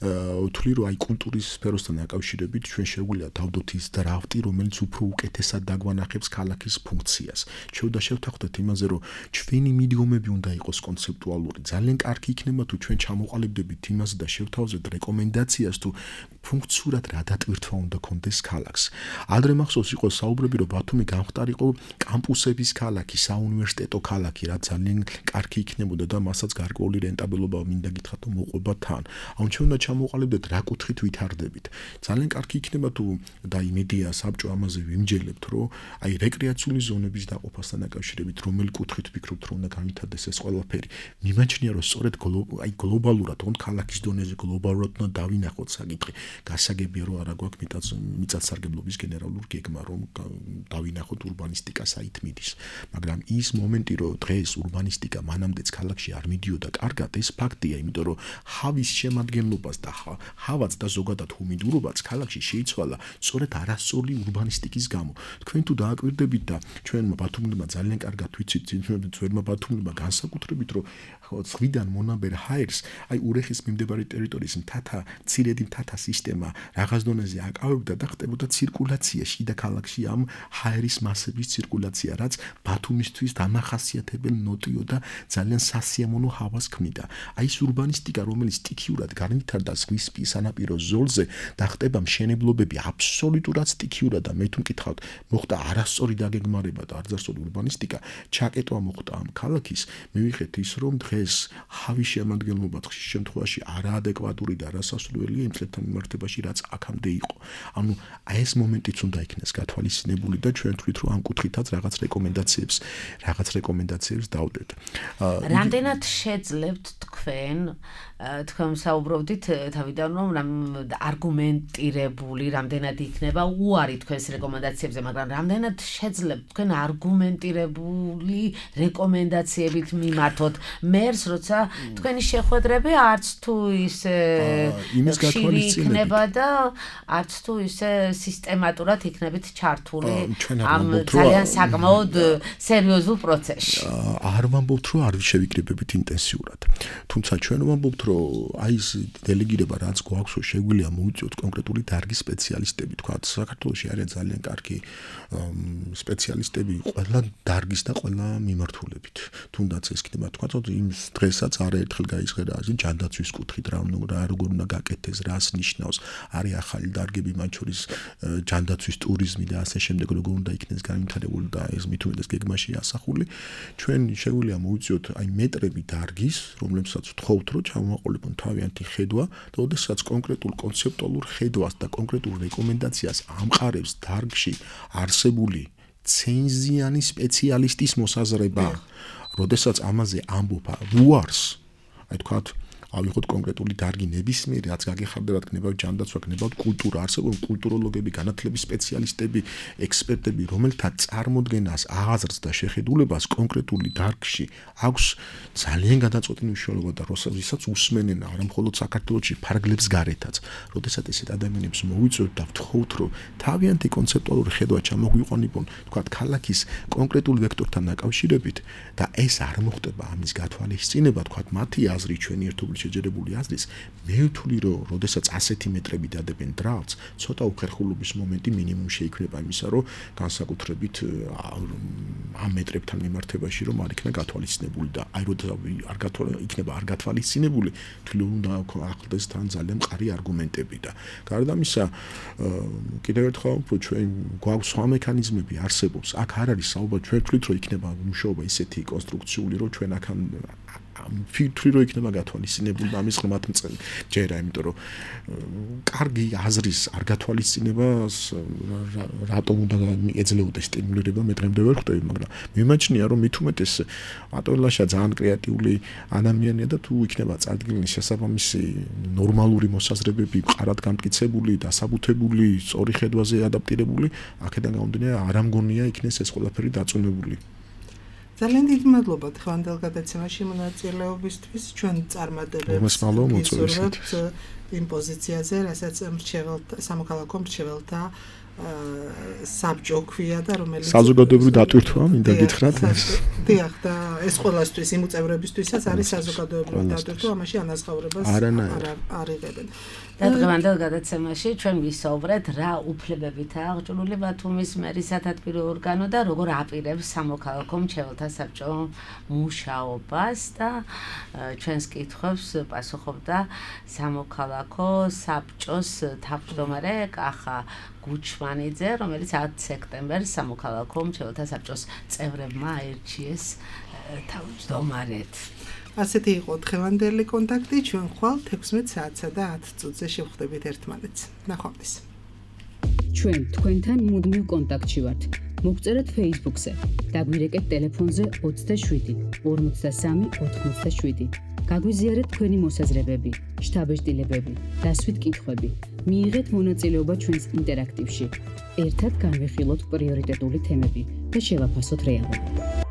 [SPEAKER 4] ვთვლი, რომ აი კულტურის სფეროსთან დაკავშირებით ჩვენ შეგვიძლია დავდოთ ის დრაფტი, რომელიც უფრო უკეთესად დაგვანახებს ქალაქის ფუნქციას. შევთანხმდეთ იმაზე, რომ ჩვენი მიდგომები უნდა იყოს კონცეპტუალური. ძალიან კარგი იქნება თუ ჩვენ ჩამოყალიბდებით იმაზე და შევთავაზებთ რეკომენდაციას თუ ფუნქციურად რა დატვირთვა უნდა კონდეს ქალაქს. ადრე მახსოვს იყო საუბრები, რომ ბათუმი გამხდარიყო კამპუსების ქალაქი, საუნივერსიტეტო ქალაქი, რაც ძალიან კარგი იქნებოდა და მასაც გარკვეული რენტაბელობა მინდა გითხრათ, რომ მოყვება თან. ანუ ჩვენ უნდა ჩამოყალიბდეთ რა კუთხით ვითარდებით. ძალიან კარგი იქნება თუ და იმედია საბჭო ამაზე ვიმჯელებთ, რომ აი რეკრეაციული ზონების დაყოფასთან დაკავშირებით რომელი კუთხით ვფიქრობთ, რომ უნდა განვითარდეს ეს ყველაფერი. მიმაჩნია, რომ სწორედ აი გლობალურად, თუნდაც ქალაქის დონეზე გლობალურად უნდა დავინახოთ საკითხი. გასაგებია, რომ არა გვაქვს მიწათსარგებლობის გენერალური გეგმა, რომ დავინახოთ ურბანისტიკა საით მიდის. მაგრამ ის მომენტი, რომ დღეს ურბანისტიკა მანამდეც ქალაქში არ მიდიოდა კარგად, ეს ფაქტია, იმიტომ რომ ჰავის შემადგენლობას და ჰავაც და ზოგადად ჰუმიდურობაც ქალაქში შეიცვალა სწორედ არასწორი ურბანისტიკის გამო. თქვენ თუ დააკვირდებით და ჩვენმა ბათუმელებმა ძალიან კარგად ვიცით, ძვირმა ბათუმელებმა განსაკუთრებით, რომ ზღვიდან მონაბერ ჰაერს, აი ურეხის მიმდებარე ტერიტორიის მცირედი მთათა სისტემა რაღაც დონეზე აკავებდა და ხდებოდა ცირკულაცია შიდა ქალაქში ამ ჰაერის მასების ცირკულაცია, რაც ბათუმისთვის დამახასიათებელ ნოტიო და ძალიან სასიამოვნო ჰავას ქმნიდა. აი ეს ურბანისტიკა, რომელიც სტიქიურად განვითარდა ზღვისპირ სანაპირო ზოლზე და ხდება მშენებლობები აბსოლუტურად სტიქიურად და მე თუ მკითხავთ, მოხდა არასწორი დაგეგმარება და არასწორი ურბანისტიკა, ჩაკეტვა მოხდა ამ ქალაქის, მივიღეთ ის, რომ დღეს ჰავის შემადგენლობა ხშირ შემთხვევაში არაადეკვატური და არასასურველია იმ წლებთან მიმართებაში, რაც აქამდე იყო. ანუ აი ეს მომენტიც უნდა იქნეს გათვალისწინებული და ჩვენ თვლით, რომ ამ კუთხითაც რაღაც რეკომენდაციებს დავდეთ.
[SPEAKER 2] რამდენად შეძლებთ თქვენ საუბრობდით თავიდან რომ არგუმენტირებული რამდენად იქნება უარი თქვენს რეკომენდაციებზე, მაგრამ რამდენად შეძლებთ თქვენ არგუმენტირებული რეკომენდაციებით მიმართოთ მერს, როცა თქვენი შეხვედრები არც თუ ისე ხშირი იქნება და არც თუ ისე სისტემატურად იქნებით ჩართული ამ ძალიან საკმაოდ სერიოზულ პროცესში.
[SPEAKER 4] არ ვამბობთ, რომ არ შევიკრიბებით ინტენსიურად. თუმცა ჩვენ ვამბობთ, რომ აი ეს დელეგირება რაც გვაქვს, შეგვიძლია მოუწიოთ კონკრეტული დარგის სპეციალისტები, თქვა საქართველოში არიან ძალიან კარგი სპეციალისტები ყველა დარგის და ყველა მიმართულებით. თუნდაც ეს იქნება თქვა, იმ დღესაც არაერთხელ გაიზღერა ასე ჯანდაცვის კუთხით რა როგორ უნდა გაკეთდეს, რას ნიშნავს, არის ახალი დარგები, მათ შორის ჯანდაცვის ტურიზმი და ასე შემდეგ, როგორ უნდა იქნეს განვითარებული და ეს მით უმეტეს გეგმაში ასახული. ჩვენ შეგვიძლია მოუწიოთ აი მეტრები დარგის, რომლებსაც ვთხოვთ, რომ ჩამოაყოლებონ თავიანთი ხედვა და ოდესაც კონკრეტულ კონცეპტუალურ ხედვას და კონკრეტულ რეკომენდაციას ამყარებს დარგში არსებული ცენზიანი სპეციალისტის მოსაზრება. როდესაც ამაზე ამბობ უარს, აი თქვათ ავიღოთ კონკრეტული დარგი ნებისმიერი, რაც გაგეხარდებათ, გნებავთ ჯანდაცვა, გნებავთ კულტურა, არსებობენ კულტუროლოგები, განათლების სპეციალისტები, ექსპერტები, რომელთა წარმოდგენას, აზრს და შეხედულებას კონკრეტული დარგში აქვს ძალიან გადაწყვეტილი მნიშვნელობა და როდესაც усმენენ არა მხოლოდ საქართველოში, ფარგლებს გარეთაც. როდესაც ესეთ ადამიანებს მოვიწვევთ და ვთხოვთ, რომ თავიანთი კონცეპტუალური ხედვა ჩამოგვიყვანებონ, თქვათ, ქალაქის კონკრეტულ ვექტორთან დაკავშირებით და ეს არ მოხდება ამის გათვალისწინება, თქვათ, მათი აზრი ჩვენი ერთობლივ შეჯერებული აზრის, მე ვთვლი, რომ როდესაც ასეთი მეტრები დადებენ დრალს, ცოტა უხერხულობის მომენტი მინიმუმ შეიქმნება იმისა, რომ განსაკუთრებით ამ მეტრებთან მიმართებაში რომ არ იქნა გათვალისწინებული და აი იქნება არ გათვალისწინებული, თვლი უნდა ახლდეს თან ძალიან მყარი არგუმენტები და გარდა ამისა, კიდევ ერთხელ ვამბობ, ჩვენ გვაქვს სხვა მექანიზმები არსებობს, აქ არ არის საუბარი, ჩვენ ვთვლით, რომ იქნება მუშაობა ისეთი კონსტრუქციული, რომ ჩვენ აქ ფიქრი რომ იქნება გათვალისწინებული და ამის ღრმად ჯერა, იმიტომ რომ კარგი აზრის არ გათვალისწინებას რატომ უნდა ეძლეოდეს სტიმულირება, მე დღემდე ვერ ხვდები, მაგრამ მიმაჩნია რომ მით უმეტეს ატოლაშა ძალიან კრეატიული ადამიანია და თუ იქნება წარდგენილი შესაბამისი ნორმალური მოსაზრებები, მყარად გამტკიცებული, დასაბუთებული, სწორი ხედვაზე ადაპტირებული, აქედან გამომდინარე არ ამგონია იქნეს ეს ყველაფერი დაწუნებული.
[SPEAKER 3] ძალიან დიდი მადლობა დღევანდელ გადაცემაში მონაწილეობისთვის. ჩვენ წარმატებებს ვიზურებთ იმ პოზიციაზე, რასაც სამოქალაქო მრჩეველთა საბჭო ქვია და რომელიც
[SPEAKER 4] საზოგადოებრივი დატვირთვა მინდა გითხრათ.
[SPEAKER 3] დიახ, და ეს ყველასთვის იმ უწევრებისთვისაც არის საზოგადოებრივი დატვირთვა, ამაში ანაზღაურებას არ იღებენ.
[SPEAKER 2] და დღევანდელ გადაცემაში ჩვენ ვისაუბრეთ რა უფლებებითაა აღჭურვილი ბათუმის მერის სათათბირო ორგანო და როგორ აპირებს სამოქალაქო მრჩეველთა საბჭო მუშაობას და ჩვენს კითხვებს პასუხობდა სამოქალაქო საბჭოს თავმჯდომარე კახა გუჩმანიძე, რომელიც 10 სექტემბერს სამოქალაქო მრჩეველთა საბჭოს წევრებმა აირჩიეს თავმჯდომარედ.
[SPEAKER 3] ასეთი იყო დღევანდელი კონტაქტი, ჩვენ ხვალ 16 საათსა და 10 წუთზე შევხვდებით ერთმანეთს. ნახვამდის.
[SPEAKER 1] ჩვენ თქვენთან მუდმივ კონტაქტში ვართ. მოგწერეთ Facebook-ზე, დაგვირეკეთ ტელეფონზე 27 53 87. გაგვიზიარეთ თქვენი მოსაზრებები, შთაბეჭდილებები, დასვით კითხვები. მიიღეთ მონაწილეობა ჩვენს ინტერაქტივში. ერთად განვიხილოთ პრიორიტეტული თემები და შევაფასოთ რეალობა.